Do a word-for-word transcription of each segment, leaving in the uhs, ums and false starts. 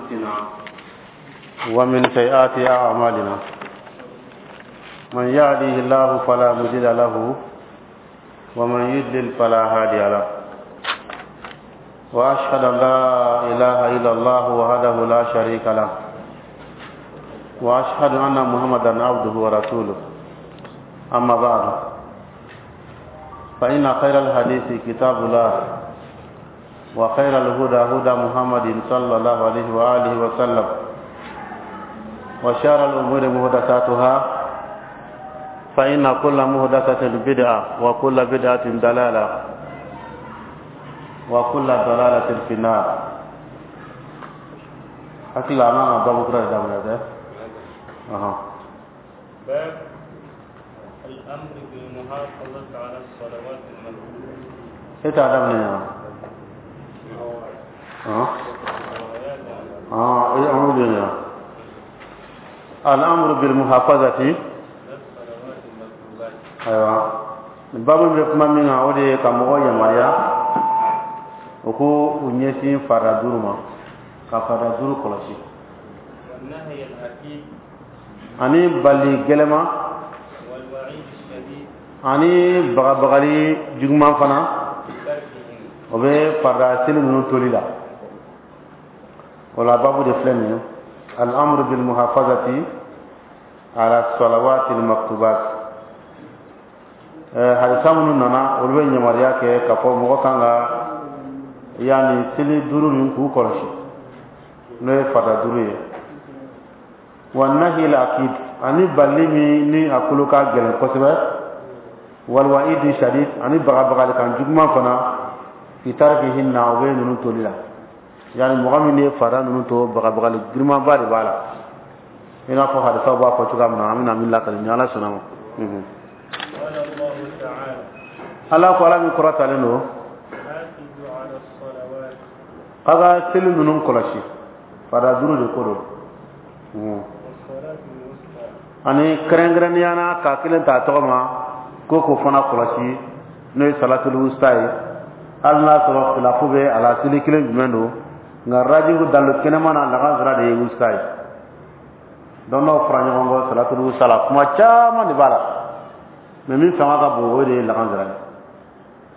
أنفسنا ومن سيئات أعمالنا، من يهده الله فلا مضل له ومن يضلل فلا هادي له، وأشهد أن لا إله إلا الله وحده لا شريك له، وأشهد أن محمدا عبده ورسوله. أما بعد، فإن خير الحديث كتاب الله، وخير الهدى هدى محمد صلى الله عليه وآله وسلم، وشر الأمور محدثاتها، فإن كل محدثة بدعة وكل بدعة ضلالة وكل ضلالة في النار. Hakili la an kan ka babu kura de daminɛ dɛ. Ɔhɔn. باب الأمر بالمحافظة على الصلوات المكتوبة. E t'a daminɛ yan? Ɔn ɔn, an bɛ yan. الأمر بالمحافظة على الصلوات المكتوبات. Ayiwa, nin babu bɛ kuma min kan, o de ye ka mɔgɔw yamaruya o ko u ɲɛsin farida duuru ma, ka farida duuru kɔlɔsi. والنهي الأكيد. Ani bali gɛlɛma. والوعيد الشديد. Ani bagabagali juguman fana. بتركهم. O bɛ farida seli ninnu toli la. O la, babu de filɛ nin ye: الأمر بالمحافظة على الصلوات المكتوبات. ɛɛ hadisa minnu nana, olu bɛ yamaruya kɛ k'a fɔ mɔgɔ kan ka yanni seli duuru nin k'u kɔlɔsi, n'o ye farida duuru ye. والنهي الأكيد, ani bali min ni a kolo ka gɛlɛn kosɛbɛ. والوعيد الشديد, ani bagabagali kan juguman fana. في تركهن, o bɛ ninnu toli la. Yani mɔgɔ min ye farida ninnu to, bagabagali girinmanba de b'a la, i n'a fɔ hadisaw b'a fɔ cogoya min na, an bɛna min lakali ni Ala sɔnna ma. Mhm. قال الله تعالى: Ala ko, Ala min kɔrɔtalen don: حافظوا على الصلوات k'a ka seli ninnu kɔlɔsi. Farida duuru de ko don. Mhm. والصلاة الوسطى. Ani kɛrɛnkɛrɛnnenya na, k'a kelen ta tɔgɔ ma ko k'o fana kɔlɔsi, n'o ye صلاة الوسطى ye. Hali n'a sɔrɔ khilafu bɛ a la seli kelen jumɛn don, nka rajihu, dalu kɛnɛma na, lagansara de ye wusta ye. Dɔnnaw fara ɲɔgɔn kɔ صلاة الوسطى la, kuma caman de b'a la, mais min fanga ka bon, o de ye lagansara ye,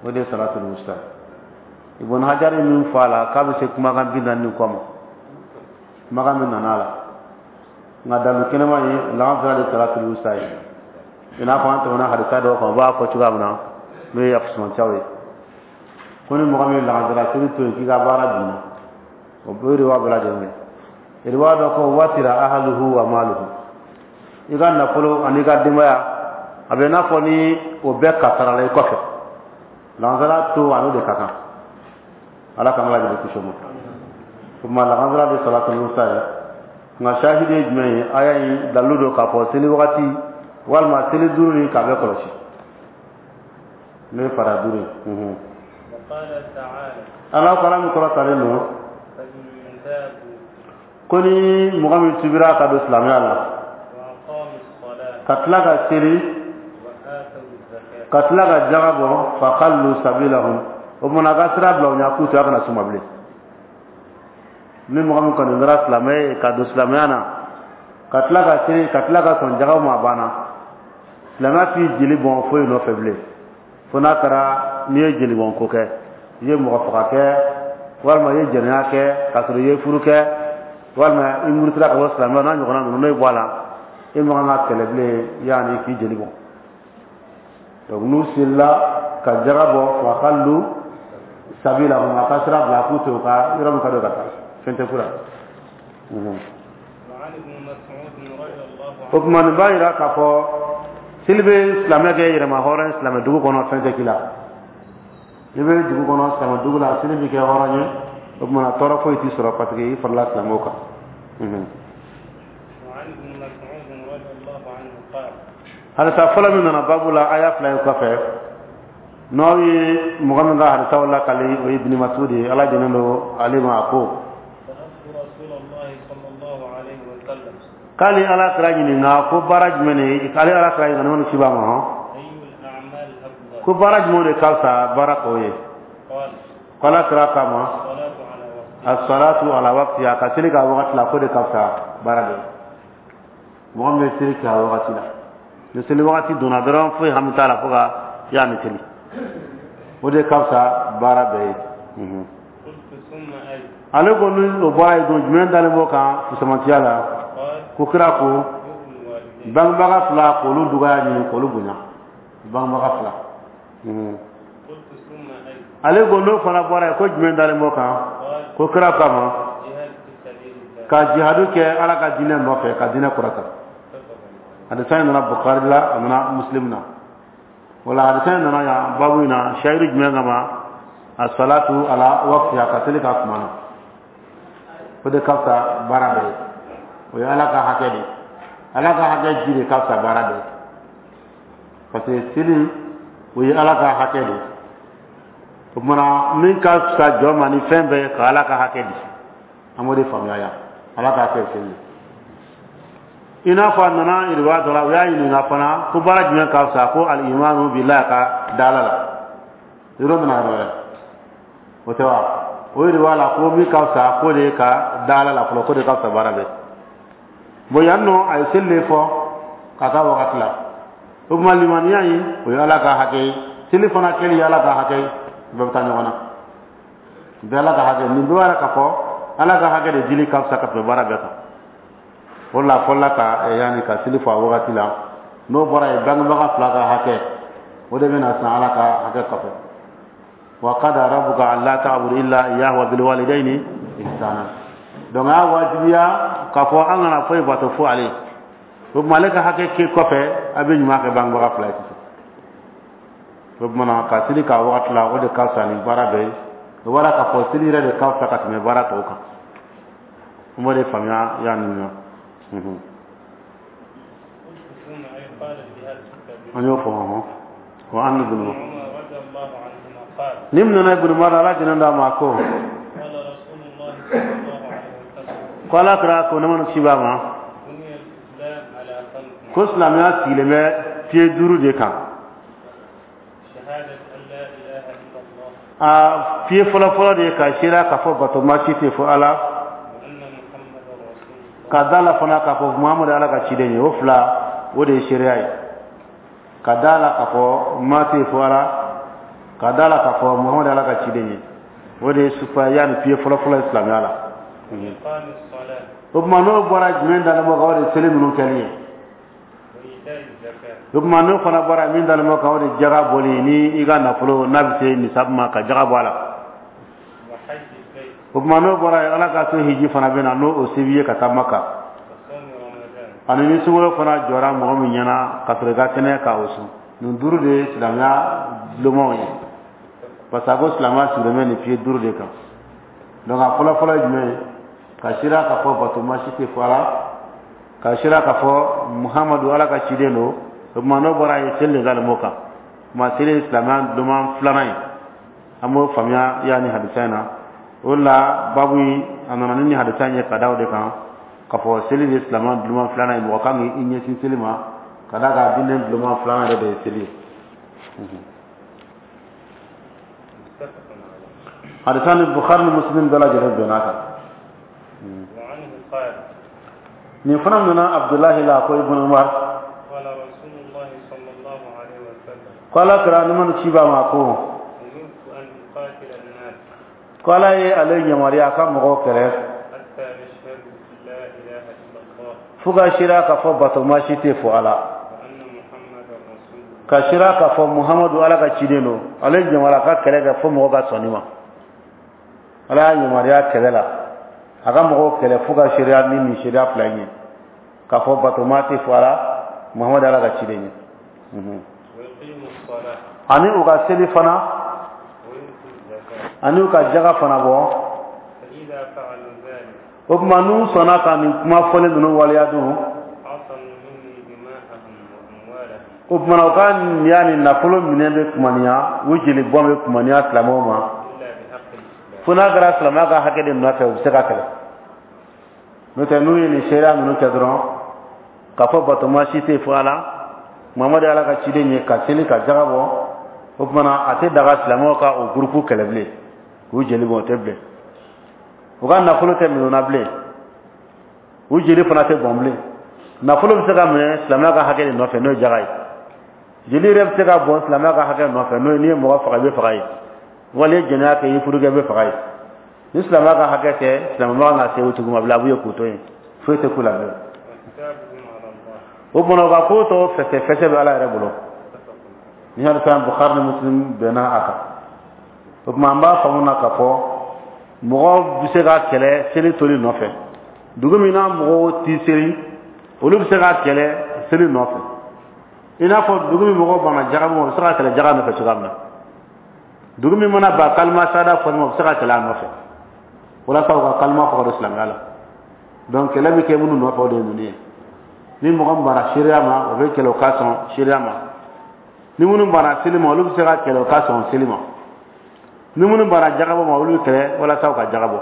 o de ye صلاة الوسطى ye. Ibn Hajar ye min fɔ a la, k'a bɛ se kumakan bi naani ni kɔ ma, kumakan min nana a la, nka dalu kɛnɛma ye lagansara de صلاة الوسطى ye. I n'a fɔ an tɛmɛna hadisa dɔw kan, u b'a fɔ cogoya min na, n'o ye fusumancaw ye, ko ni mɔgɔ min ye lagansara seli to yen, k'i ka baara binna. O bɛɛ de b'a bɛɛ lajɛlen kɛ. Riwaya dɔ ko: وتر أهله وماله. I ka nafolo ani i ka denbaya, a bɛ i n'a fɔ ni o bɛɛ kasarala i kɔfɛ. Lagansara to, a n'o de ka kan. Ala k'an lajɛlen kisi o ma. O tuma, lagansara de صلاة الوسطى ye. Nka shahidi ye jumɛn ye? Aya in dalilu don k'a fɔ seli wagati walima seli duuru nin, k'a bɛɛ kɔlɔsi, n'o ye farida duuru ye. Unhun. وقال تعالى: Ala ko, Ala min kɔrɔtalen don: فإن تابوا ko ni mɔgɔ min tubira ka don silamɛya la, وأقاموا الصلاة ka tila ka seli, وآتوا الزكاة ka tila ka jaga bɔ, فخلوا سبيلهم, o kumana a ka sira bila u ɲɛ, k'u to a kana s'u ma bilen. Ni mɔgɔ min kɔni kɛra silamɛ ye ka don silamɛya na, ka tila ka seli, ka tila ka sɔn jagaw ma, a banna. Silamɛya t'i jeli bɔn foyi nɔfɛ bilen, fo n'a kɛra n'i ye jeli bɔn ko kɛ, i ye mɔgɔ faga kɛ, walima i ye jɛnɛya kɛ k'a sɔrɔ i ye furu kɛ, walima i murutila ka bɔ silamɛya, n'a ɲɔgɔnna ninnu, n'o ye bɔ a la, e man kan ka kɛlɛ bilen yanni k'i jeli bɔn. Donc n'u selila ka jaga bɔ, فخلوا سبيلهم, a ka sira bila k'u to u ka yɔrɔ min ka d'u ka taa, fɛn tɛ k'u la. Mhm. وعن ابن مسعود رضي الله O عنه tuma, nin b'a yira k'a fɔ seli bɛ silamɛ kɛ yɛrɛma hɔrɔn ye silamɛ dugu kɔnɔ, fɛn tɛ k'i la. I bɛ dugu kɔnɔ, silamɛ dugu la, seli bɛ kɛ hɔrɔn ye. O tuma na, tɔɔrɔ foyi t'i sɔrɔ, parce que i farala silamɛw kan. Mhm. وعن ابن مسعود رضي الله عنه قال: Hadisa fɔlɔ min nana babu la, aya fila in kɔfɛ, n'aw ye mɔgɔ min ka hadisaw lakali, o ye Ibn Masud ye, Ala jɛnnen don ale ma. A ko: سألت رسول الله صلى الله عليه وسلم k'ale Ala kira ɲininka ko baara jumɛn de, ale Ala kira ɲininka n'o ci b'a ma hɔn, أي الأعمال أفضل؟ ko baara jumɛn de ka fisa baara tɔw ye? قال: Ko Ala kira k'a ma: الصلاة على وقتها. As-salatu ala waqtiha, ka seli k'a wagati la, ko de ka fisa baara bɛɛ ye. Mɔgɔ min bɛ seli kɛ a wagati la, ni seli wagati donna dɔrɔn, foyi hami t'a la fo ka yanni seli, o de ka fisa baara bɛɛ ye. Mhm. قلت ثم أي؟ Ale ko ni o bɔra yen don, jumɛn dalen b'o kan fisamantiya la? قال Ko kira ko بر الوالدين. Bangebaga fila, k'olu dugaya ɲini, k'olu bonya, bangebaga fila. Mhm. قلت ثم أي؟ Ale ko n'o fana bɔra yen, ko jumɛn dalen b'o kan? قال Ko kira kama الجهاد في سبيل الله. Ka jihadu kɛ Ala ka diinɛ nɔfɛ, ka diinɛ kɔrɔta. متفق عليه. Hadisa in nana Bukhari la, a nana Muslim na. Wala hadisa in nana yan babu in na shahidu jumɛn kama? As-salatu ala waqtiha, ka seli ka kuma na, o de ka fisa baara bɛɛ ye. O ye Ala ka hakɛ de ye. Ala ka hakɛ ji de ka fisa baara bɛɛ ye, parce que seli, o ye Ala ka hakɛ de ye. O kumana, min ka fisa jɔn ma ni fɛn bɛɛ ye, ka Ala ka hakɛ di, an b'o de faamuya yan. Ala ka hakɛ ye seli ye. I n'a fɔ a nana iriwa dɔ la, u y'a ɲininka fana ko baara jumɛn ka fisa? Ko al-imanu billahi, ka da Ala la. Yɔrɔ nana yɔrɔ wɛrɛ, o tɛ wa? O iriwa la ko min ka fisa, k'o de ye ka da Ala la fɔlɔ, k'o de ka fisa baara bɛɛ. Bon, yan nɔ, a ye seli de fɔ ka taa wagati la. O tuma, limaniya in, o ye Ala ka hakɛ ye. Seli fana kɛli ye Ala ka hakɛ ye. Bɛɛ bɛ taa ɲɔgɔn na, bɛɛ Ala ka hakɛ. Nin bɛɛ b'a yira k'a fɔ Ala ka hakɛ de dili ka fisa ka tɛmɛ baara bɛɛ kan. O de la, fɔlɔla ka eh, yanni ka seli fɔ a wagati la. N'o bɔra yen, bangebaga fila ka hakɛ, o de bɛna san Ala ka hakɛ kɔfɛ. Wa qada rabbuka alla ta'budu illa iyyahu wa bil walidayni ihsana. Donc a y'a wajibiya k'a fɔ an kana foyi bato fo ale. O tuma, ale ka hakɛ ke kɔfɛ, a bɛ ɲuman kɛ bangebaga fila ye sisan. O tuma na, ka seli k'a wagati la, o de ka fisa ni baara bɛɛ ye. O bɔra k'a fɔ seli yɛrɛ de ka fisa ka tɛmɛ baara tɔw kan. An b'o de faamuya yanni nɔ. Mhm. قلت ثم أي؟ قال الجهاد في سبيل An y'o fɔ hɔn. Wa an ابن ibn عمر رضي الله عنهما قال ni min nana Ibn Umar, Ala jɛnɛ d'a ma, ko قال رسول الله صلى الله عليه وسلم ko Ala kira ko, ne mana ci b'a ma, بني الإسلام على خمس: ko silamɛya sigilen bɛ pied duuru de kan. شهادة أن لا إله إلا الله A pied fɔlɔfɔlɔ de ye ka seereya k'a fɔ bato ma si tɛ fo Ala, وأن محمدا رسول الله. Ka da la fana k'a fɔ Muhamadu Ala ka ciden ye. O fila, o de ye seereya ye, ka da la k'a fɔ ma tɛ fo Ala, ka da la k'a fɔ Muhamadu Ala ka ciden ye. O de ye sufa yanni pied fɔlɔfɔlɔ ye silamɛya la. وإقام الصلاة. O tuma, n'o bɔra, jumɛn dalen b'o kan? O de ye seli ninnu kɛli ye. وإيتاء الزكاة. O tuma, n'o fana bɔra, min dalen b'o kan, o de ye jaga bɔli ni i ka nafolo n'a bɛ se nisabu ma, ka jaga bɔ a la. وحج البيت. O tuma, n'o bɔra yen, Ala ka so hiji fana bɛ na, n'o o se b'i ye ka taa Maka. وصوم رمضان. Ani ni sunkalo fana jɔra mɔgɔ min ɲɛna ka sɔrɔ i ka kɛnɛ, ka o sun. Nin duuru de ye silamɛya lomaw ye, parce que a ko silamɛya sigilen bɛ nin pied duuru de kan. Donc a fɔlɔ fɔlɔ ye jumɛn ye? Ka seereya k'a fɔ bato ma si tɛ fo Ala, ka seereya k'a fɔ Muhamadu Ala ka ciden don. O tuma, n'o bɔra yen, seli de dalen b'o kan. O tuma, seli ye silamɛya loman filanan ye. An b'o faamuya yanni hadisa in na. O de la, babu in, a nana ni nin hadisa in ye ka da o de kan, k'a fɔ seli de ye silamɛya loman filanan ye. Mɔgɔ kan k'i ɲɛsin seli ma, ka d'a kan diinɛ loman filanan yɛrɛ de ye seli ye. متفق عليه. Hadisa ni Bukhari ni Muslim bɛɛ lajɛlen bɛnn'a kan. وعنه قال Nin fana nana Abdulahi la, ko Ibn Umar قال رسول الله صلى الله عليه وسلم ko Ala kira ni mana ci b'a ma ko أمرت أن أقاتل الناس ko Ala ye ale yamaruya a ka mɔgɔw kɛlɛ حتى يشهدوا أن لا إله إلا الله fo ka seereya k'a fɔ bato ma si tɛ fo Ala, وأن محمدا رسول الله. Ka seereya k'a fɔ Muhamadu Ala ka ciden don. Ale yamaruya a ka kɛlɛ kɛ fo mɔgɔw ka sɔn nin ma. Ala y'a yamaruya kɛlɛ la, a ka mɔgɔw kɛlɛ fo ka seereya ni nin seereya fila in ye, k'a fɔ bato ma tɛ fo Ala, Muhamadu Ala ka ciden ye. Mhm. ويقيموا الصلاة Ani u ka seli fana, ويؤتوا الزكاة. Ani u ka jaga fana bɔ. فإذا فعلوا ذلك O tuma, n'u sɔnna ka nin kuma fɔlen ninnu waleya dun, عصموا مني دماءهم وأموالهم o tuma na, u ka niya ni nafolo minɛ bɛ kumaniya, u jeli bɔn bɛ kumaniya silamɛw ma, إلا بحق الإسلام. Fo n'a kɛra silamɛya ka hakɛ de nɔfɛ, u bɛ se ka kɛlɛ. N'o tɛ, n'u ye nin seereya ninnu kɛ dɔrɔn, k'a fɔ batoma si tɛ fo Ala, Muhamadu ye Ala ka ciden ye, ka seli, ka jaga bɔ, o tuma na, a tɛ daga silamɛw ka o gurupu kɛlɛ bilen k'u jeli bɔn, o tɛ bilen. U ka nafolo tɛ minɛ u na bilen, u jeli fana tɛ bɔn bilen. Nafolo bɛ se ka minɛ silamɛya ka hakɛ de nɔfɛ, n'o ye jaga ye. Jeli yɛrɛ bɛ se ka bɔn silamɛya ka hakɛ nɔfɛ, n'o ye n'i ye mɔgɔ faga, i bɛ faga ye, wali i ye jɛnɛya kɛ, i ye furu kɛ, i bɛ faga ye. Ni silamɛya ka hakɛ tɛ, silamɛ man kan ka se o tigi ma bilen. A b'u ye k'u to yen, foyi tɛ k'u la bilen. O kumana, u ka ko tɔ fɛsɛ fɛsɛ bɛ Ala yɛrɛ bolo. Ni hadisa Bukhari ni Muslim bɛnna a kan. O tuma, an b'a faamu na k'a fɔ mɔgɔ bɛ se ka kɛlɛ seli toli nɔfɛ. Dugu min na mɔgɔw ti seli, olu bɛ se ka kɛlɛ seli nɔfɛ, i n'a fɔ dugu min mɔgɔw banna jaga ma, u bɛ se ka kɛlɛ jaga nɔfɛ cogoya min na. Dugu min mana ban kalima sada fɔli ma, u bɛ se ka kɛlɛ a nɔfɛ walasa u ka kalima fɔ ka don silamɛya la. Donc kɛlɛ bɛ kɛ minnu nɔfɛ, o de ye ninnu ye. Ni mɔgɔ min banna seereya ma, o bɛ kɛlɛ o ka sɔn seereya ma. Ni minnu banna seli ma, olu bɛ se ka kɛlɛ o ka sɔn seli ma. Ni minnu banna jagabɔ ma, olu bɛ kɛlɛ walasa u ka jagabɔ.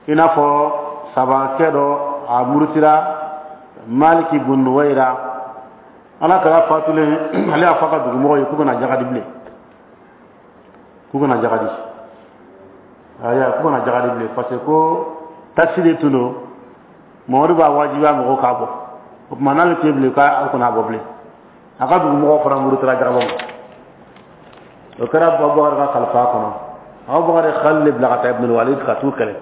I n'a fɔ sabakɛ dɔ, a murutira, Maliki bun Nuwayira. Ala kɛra fatulen, ale y'a fɔ a ka dugumɔgɔw ye k'u kana jaga di bilen, k'u kana jaga di, aya, k'u kana jaga di bilen, parce que ko taxe de tun don, Mamadu b'a wajibiya mɔgɔw k'a bɔ. O tuma, n'ale tɛ bilen, k'a kana bɔ bilen. A ka dugumɔgɔw fana murutira jagabɔ ma. O kɛra Abubakar ka kalifa kɔnɔ. Abubakar ye Khalid bila ka taa Ibn Walid ka t'u kɛlɛ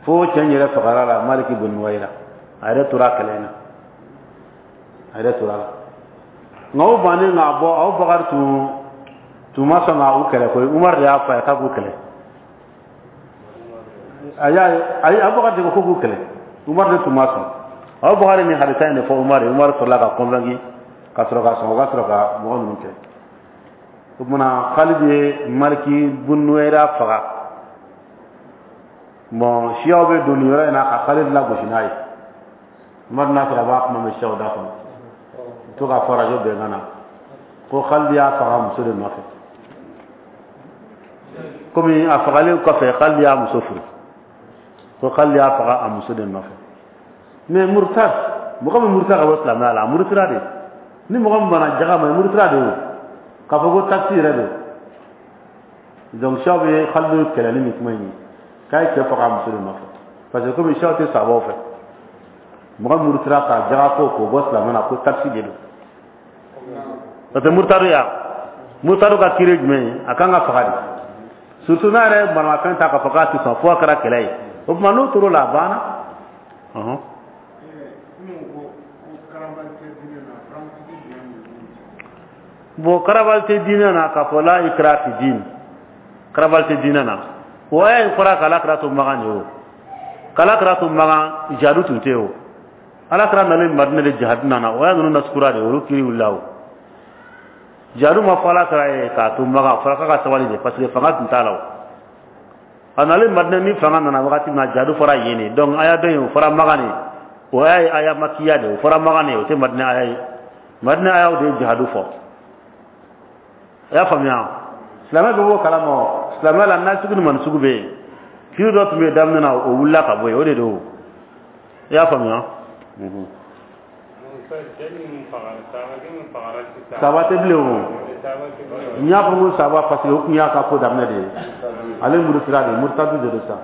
fo cɛ in yɛrɛ fagara la. Maliki bun Nuwayira, a yɛrɛ tora kɛlɛ in na, a yɛrɛ tora la. Nka o bannen k'a bɔ, Abubakar tun tun ma sɔn ka u kɛlɛ koyi. Umar de y'a fɔ a ye k'a k'u kɛlɛ. A y'a ye, ayi, Abubakar de ko k'u kɛlɛ, Umar de tun ma sɔn. Abubakar ni hadisa in de fɔ Umar ye. Umar sɔrɔla ka convaincu ka sɔrɔ ka sɔn, o ka sɔrɔ ka mɔgɔ ninnu kɛ. O kumana, Khalid ye Maliki bun Nuwayira faga. Bon, siyaw bɛ don nin yɔrɔ in na ka Khalid lagosi n'a ye. Umar n'a sɔrɔ a b'a kuma mɛn siyaw da kɔnɔ, to k'a fɔ arajo bɛnkan na ko Khalid y'a faga muso de nɔfɛ. Komi a fagalen kɔfɛ, Khalid y'a muso furu, ko Khalid y'a faga a muso de nɔfɛ. Mais murtad, mɔgɔ min murutira ka bɔ silamɛya la, a murutira de. Ni mɔgɔ min banna jaga ma, i murutira de. O k'a fɔ ko taxe yɛrɛ don. Donc siyaw bɛ Khalid kɛlɛ ni nin kuma in ye, k'a ye cɛ faga a muso de nɔfɛ, parce que komi siyaw tɛ sabaw fɛ, mɔgɔ min murutira ka jaga ko k'o bɔ silamɛ na, ko taxe de don. Parce que murtadu ya, murtadu ka kiiri jumɛn ye? A kan ka faga de, surtout n'a yɛrɛ ye maramafɛn ta k'a fɔ k'a tɛ sɔn, fo a kɛra kɛlɛ ye. O tuma, n'o tor'o la, a banna. Ɔhɔn. Minnu ko ko karabali tɛ diinɛ na, practique jumɛn de b'u cɛ? Bon, karabali tɛ diinɛ na k'a fɔ la ikra fi din, karabali tɛ diinɛ na, o aya in fɔra k'Ala kira to Makan de. O k'Ala kira to Makan, jihadu tun tɛ yen. O Ala kira nalen Madina de, jihadu nana. O aya ninnu nasukura de, olu kiri wulila. O jihadu ma fɔ Ala kira ye k'a to Makan, a fɔra k'a ka sabali de, parce que fanga tun t'a la. O a nalen Madina, ni fanga nana wagati min na, jihadu fɔra yen de. Donc aya dɔ in, o fɔra Makan de. O aya ye aya makiya de, o fɔra Makan de, o tɛ Madina aya ye. Madina ayaw de ye jihadu fɔ. I y'a faamuya? Silamɛ bɛ b'o kalama. O silamɛya la, n'a sugu ni mani sugu bɛ yen, kiri dɔ tun bɛ yen daminɛ na, o wulila ka bɔ yen, o de don. I y'a faamuya? Cɛ min fagara, sabakɛ min fagara sisan. Saba tɛ bilen o. Saba tɛ bilen. N y'a fɔ ko saba, parce que o tun y'a ka ko daminɛ de ye. Ale murutira de, murutadu de don sa.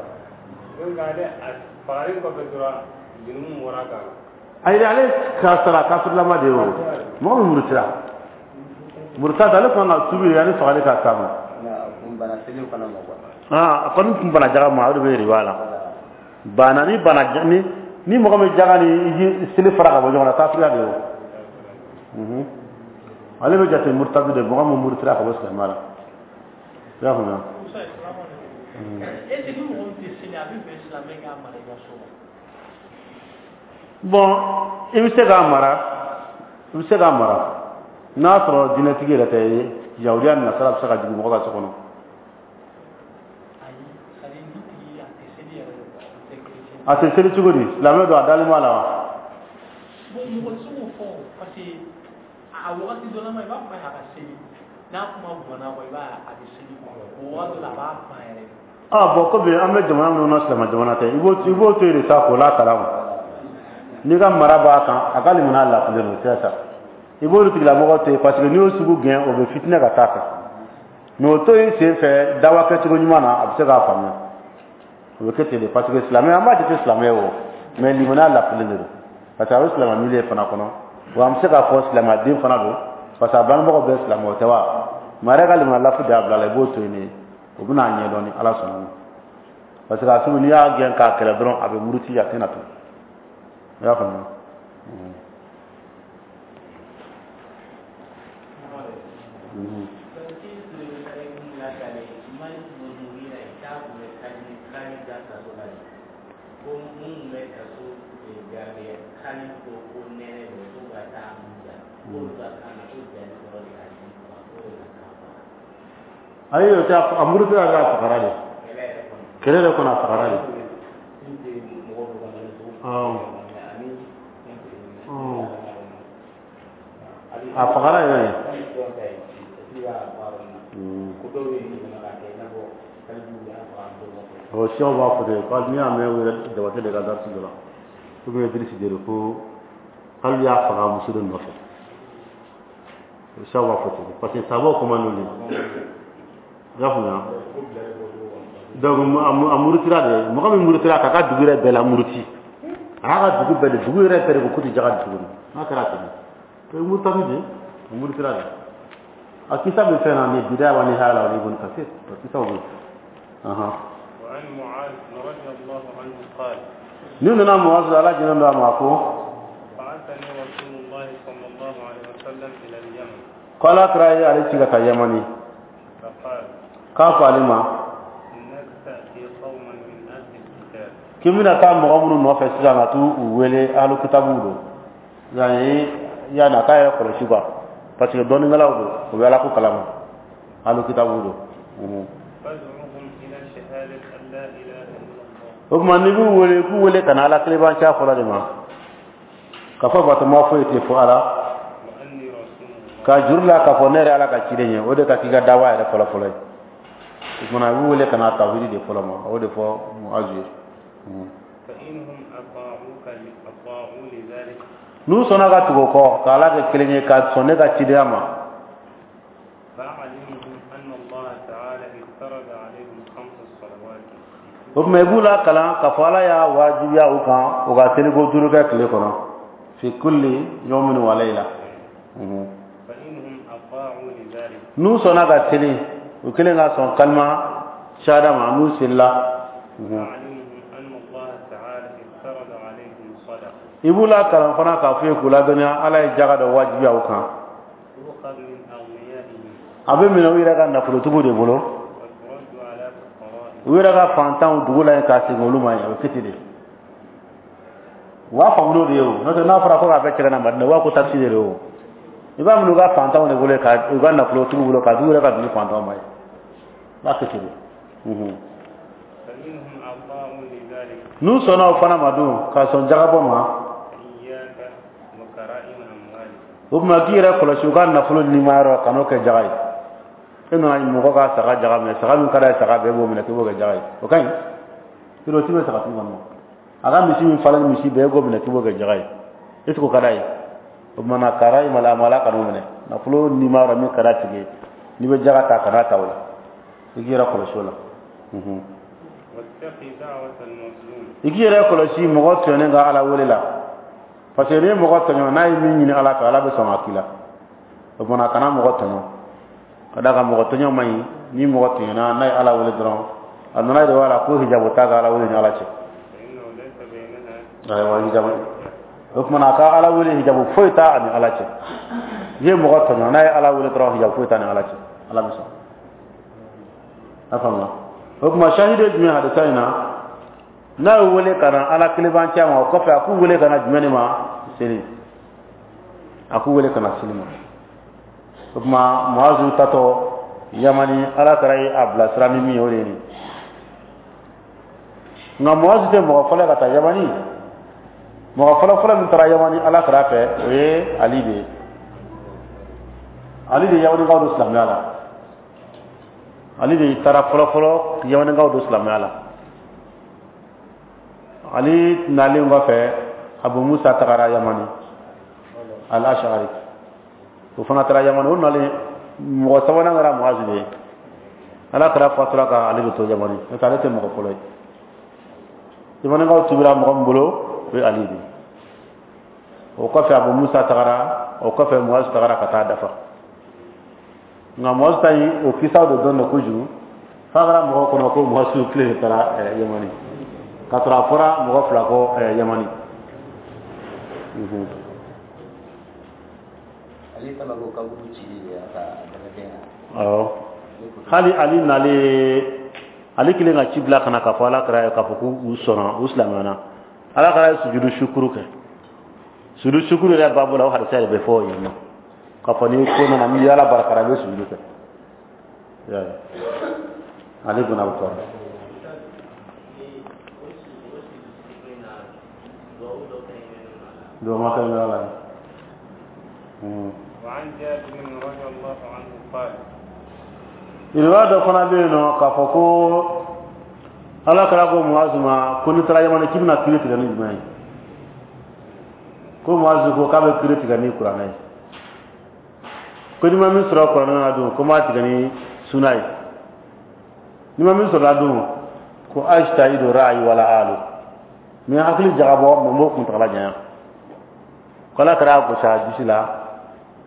Donc ale a fagalen kɔfɛ dɔrɔn, jurumu bɔra kan. Ayi, ale ka sara kafirilama de ye. O mɔgɔ min murutira, murutadu, ale kan ka tubi de yanni fagali ka s'a ma. Kun bana seli fana ma quoi. Ah, a kɔni tun bana jaga ma, o de bɛ riba la. Bana ni bana ni ni mɔgɔ min jaga ni seli fara ka bɔ ɲɔgɔn na, kafiriya de ye o. Mhm. Ale bɛ jate murutadu de, mɔgɔ min murutira ka bɔ silamɛya la. I y'a faamuya? Est ce que ni mɔgɔ min tɛ seli, a bɛ bɛn silamɛ k'a mara i ka so wa? Bon, i bɛ se k'a mara, i bɛ se k'a mara n'a sɔrɔ diinɛtigi yɛrɛ tɛ. Yahudiya ni nasara bɛ se ka jigin mɔgɔ ka so kɔnɔ. Ayi, c'est à dire ni tigi a tɛ seli yɛrɛ de quoi, o tɛ chrétien. A tɛ seli cogo di? Silamɛ don, a dalen b'a la wa? Bon, mɔgɔ tɛ se k'o fɔ o, parce que a wagati dɔ la ma, i b'a fɔ a ka seli, n'a kuma bɔnna kɔ, i b'a ye a bɛ seli quoi. O wagati dɔ la, a b'a ban yɛrɛ de. Ah bon, komi an bɛ jamana minnu na, silamɛ jamana tɛ, i b'o i b'o to yen de sa k'o lakalan o. N'i ka mara b'a kan, a ka limaniya lafilen don, c'est ça. I b'olu tigilamɔgɔ to yen, parce que n'i y'o sugu gɛn, o bɛ fitinɛ ka taa fɛ. Mais o to yen sen fɛ, dawa kɛcogo ɲuman na, a bɛ se k'a faamuya. O bɛ kɛ ten de, parce que silamɛ, an b'a jate silamɛ ye o, mais limaniya lafilen de don, parce que a bɛ silamɛ milieu fana kɔnɔ. Wa an bɛ se k'a fɔ silamɛden fana don, parce que a bangebagaw bɛɛ silamɛ, o tɛ wa? Mais a yɛrɛ ka limaniya lafi de y'a bila a la. I b'o to yen de, o bɛna a ɲɛdɔn ni Ala sɔnna ma, parce que a sugu, n'i y'a gɛn k'a kɛlɛ dɔrɔn, a bɛ muruti, a tɛna to. I y'a faamuya? Mhm. Ko mun bɛ kaso gardiya kali ko ko nɛnɛ don ko ka taa ja k'olu ka kan na ko jali kɔrɔ de ka di faga ko de ka kan faga. Ayi, o tɛ. A murutira de, a fagara de. Kɛlɛ yɛrɛ kɔnɔ. Kɛlɛ de kɔnɔ, a fagara de. N tɛ mɔgɔ dɔ ka mali cogo Awɔ. ani Ɔn. A fagara yɛrɛ de. hali dɔn ta ye i b'a baara na ko dɔw bɛ yen nɔ k'a kɛ i n'a fɔ kalibu y'a faga dɔ nɔfɛ. O siyaw b'a fɔ ten ko n'i y'a mɛn, u yɛrɛ Jabate de ka darisi dɔ la, ou bien Idrisi de ko hali y'a faga muso de nɔfɛ. O siyaw b'a fɔ ten, parce que sabaw kuma n'olu ye, i y'a faamuya? Donc a murutira de. Mɔgɔ min murutira k'a ka dugu yɛrɛ bɛɛ la muruti, a y'a ka dugu bɛɛ de, dugu yɛrɛ bɛɛ de ko k'u tɛ jaga di tuguni. N'a kɛra ten, o ye murutani de ye, o murutira de. A kisa bɛ fɛn na ni Bidaya wa Nihaya la, o ni Ibn Kasir, o kisaw bɛ yen. Ahan. وعن معاذ رضي الله عنه قال: Ni nana Muazu, Ala jɛnɛ don a ma, ko: بعثني رسول الله صلى الله عليه وسلم إلى اليمن. Ko Ala kira ye ale ci ka taa Yamani. فقال: K'a fɔ ale ma: إنك تأتي قوما من أهل الكتاب. K'i bɛna taa mɔgɔ minnu nɔfɛ sisan ka t'u u wele, ahlu kitabuw don. Yani yani a k'a yɛrɛ kɔlɔsi quoi, parce que dɔnnikɛlaw don, u bɛ Ala ko kalama, ahlu kitabuw don. Mhm. فادعهم إلى شهادة أن لا إله إلا الله. O tuma, n'i b'u wele, k'u wele ka na Ala kelenbanciya fɔlɔ de ma, ka fɔ batoma foyi tɛ fo Ala. وأني رسول الله. Ka juru la k'a fɔ ne yɛrɛ Ala ka ciden ye, o de ka k'i ka dawa yɛrɛ fɔlɔ fɔlɔ ye. O tuma, a b'u wele ka na tawhidi de fɔlɔ ma, o de fɔ Muazu ye. Mhm. فإنهم أطاعوك أطاعوا لذلك. N'u sɔnna ka tugu o kɔ, ka Ala kɛ kelen ye, ka sɔn ne ka cidenya ma, فأعلمهم أن الله تعالى افترض عليهم خمس صلوات. O tuma, i b'u la kalan k'a fɔ Ala y'a wajibiya u kan, u ka seliko duuru kɛ tile kɔnɔ, fi kulli yawmin wa layla. Mhm. فإنهم أطاعوا لذلك، N'u sɔnna ka seli, u kelen ka sɔn kalima shahada ma, n'u selila. Mhm. فأعلمهم أن الله تعالى افترض عليهم صدقة. I b'u la kalan fana k'a f'u ye, k'u ladɔnniya, Ala ye jaga dɔ wajibiya u kan. تؤخذ من أغنيائهم. A bɛ minɛ u yɛrɛ ka nafolotigiw de bolo. وترد على فقرائهم. U yɛrɛ ka fantanw dugu la yen, k'a segin olu ma yen. A bɛ kɛ ten de, u b'a faamu n'o de ye. O n'o tɛ, n'a fɔra ko k'a bɛɛ cɛ ka na Madina, u b'a ko taxe de don. O i b'a minɛ u ka fantanw de bolo, ka u ka nafolotigiw bolo, k'a d'u yɛrɛ ka dugu fantanw ma yen. I b'a kɛ ten de. Mhm. فإنهم أطاعوا لذلك، N'u sɔnna o fana ma dun, ka sɔn jagabɔ ma, فإياك وكرائم أموالهم. O tuma, k'i yɛrɛ kɔlɔsi u ka nafolo nimayɔrɔ, ka n'o kɛ jaga ye. E nana mɔgɔ ka saga jaga minɛ, saga min ka d'a ye, saga bɛɛ b'o minɛ k'i b'o kɛ jaga ye, o ka ɲi? Yɔrɔ o ti bɛ sagatigi kɔni ma. A ka misi min falen ni misi bɛɛ, e k'o minɛ k'i b'o kɛ jaga ye, est ce que o ka d'a ye? O tuma na, kara i mala amala, kan'o minɛ. Nafolo nimayɔrɔ min ka d'a tigi ye, n'i bɛ jaga ta, kana ta o la, i k'i yɛrɛ kɔlɔsi o la. Mhm. واتقي دعوة المظلوم. I k'i yɛrɛ kɔlɔsi mɔgɔ tɔɲɔnen ka Ala wele la, parce que n'i ye mɔgɔ tɔɲɔ, n'a ye min ɲini Ala fɛ, Ala bɛ sɔn ka k'i la. O tuma, kana mɔgɔ tɔɲɔ, ka d'a kan mɔgɔ tɔɲɔ man ɲi. Ni mɔgɔ tɔɲɔna, n'a ye Ala wele dɔrɔn, a nana de b'a la ko hijabu t'a ka Ala wele ni Ala cɛ. فإنه ليس بينها Ayiwa, hijabu. O tuma na, a ka Ala wele, hijabu foyi t'a ani Ala cɛ. N'i ye mɔgɔ tɔɲɔ, n'a ye Ala wele dɔrɔn, hijabu foyi t'a ni Ala cɛ, Ala bɛ sɔn. A faamuya? O tuma, shahidi ye jumɛn hadisa in na? N'a y'u wele ka na Ala kelenbanciya ma, o kɔfɛ a k'u wele ka na jumɛn de ma? Seli. A k'u wele ka na seli ma. O tuma, Muazu tatɔ Yamani, Ala taara ye a bilasira ni min ye, o de ye nin. Nka Muazu tɛ mɔgɔ fɔlɔ ye ka taa Yamani. Mɔgɔ fɔlɔ fɔlɔ min taara Yamani Ala kira fɛ, o ye Ali de ye. Ali de ye Yamanikaw don silamɛya la. Ali de taara fɔlɔ fɔlɔ Yamanikaw don silamɛya la. Ali nalen kɔfɛ, Abu Musa tagara Yamani, al Ashari, o fana taara Yamani. O nalen, mɔgɔ sabanan kɛra Muazu de ye. Ala kɛra fatura ka ale de to Yamani, n'o tɛ ale tɛ mɔgɔ fɔlɔ ye. Yamanikaw tubira mɔgɔ min bolo, o ye Ali de ye. O kɔfɛ, Abu Musa tagara, o kɔfɛ Muazu tagara ka taa dafa. Nka Muazu ta in, o kisaw de dɔn kojugu f'a kɛra mɔgɔw kɔnɔ ko Muazu kile de taara Yamani, k'a sɔrɔ a fɔra mɔgɔ fila kɔ Yamani. Ale fana ko kaburu cili de y'a ka adamadenya. Awɔ, hali Ali nalen, Ale kelen ka ci bila ka na k'a fɔ Ala kira ye k'a fɔ k'u sɔnna, u silamɛna, Ala kira ye sujudu sukuru kɛ. Sujudu sukuru yɛrɛ baabu la, o hadisa de bɛ fɔ yen nɔ k'a fɔ ni ko nana n'i ye Ala barikara, i bɛ sujudu kɛ. I y'a ye, Ali bin Abi Talib. O si o si sigilen na, duwawu dɔ kɛrɛnkɛrɛnnen don a la. Duwawu ma kɛ ala ye. وعن جابر رضي الله عنه قال Riwaya dɔ fana bɛ yen nɔ k'a fɔ ko Ala kɛra ko Muazu ma ko n'i taara Yamani, k'i bɛna kiiri tigɛ ni jumɛn ye? Ko Muazu ko k'a bɛ kiiri tigɛ ni Kuranɛ ye, ko n'i ma min sɔrɔ Kuranɛ na dun, ko n b'a tigɛ ni suna ye, n'i ma min sɔrɔ la dun, ko ajtahidu ra'yi wala alu, n bɛ hakili jagabɔ mɛ n b'o kuntagala janya. Ko Ala kɛra a gosi a disi la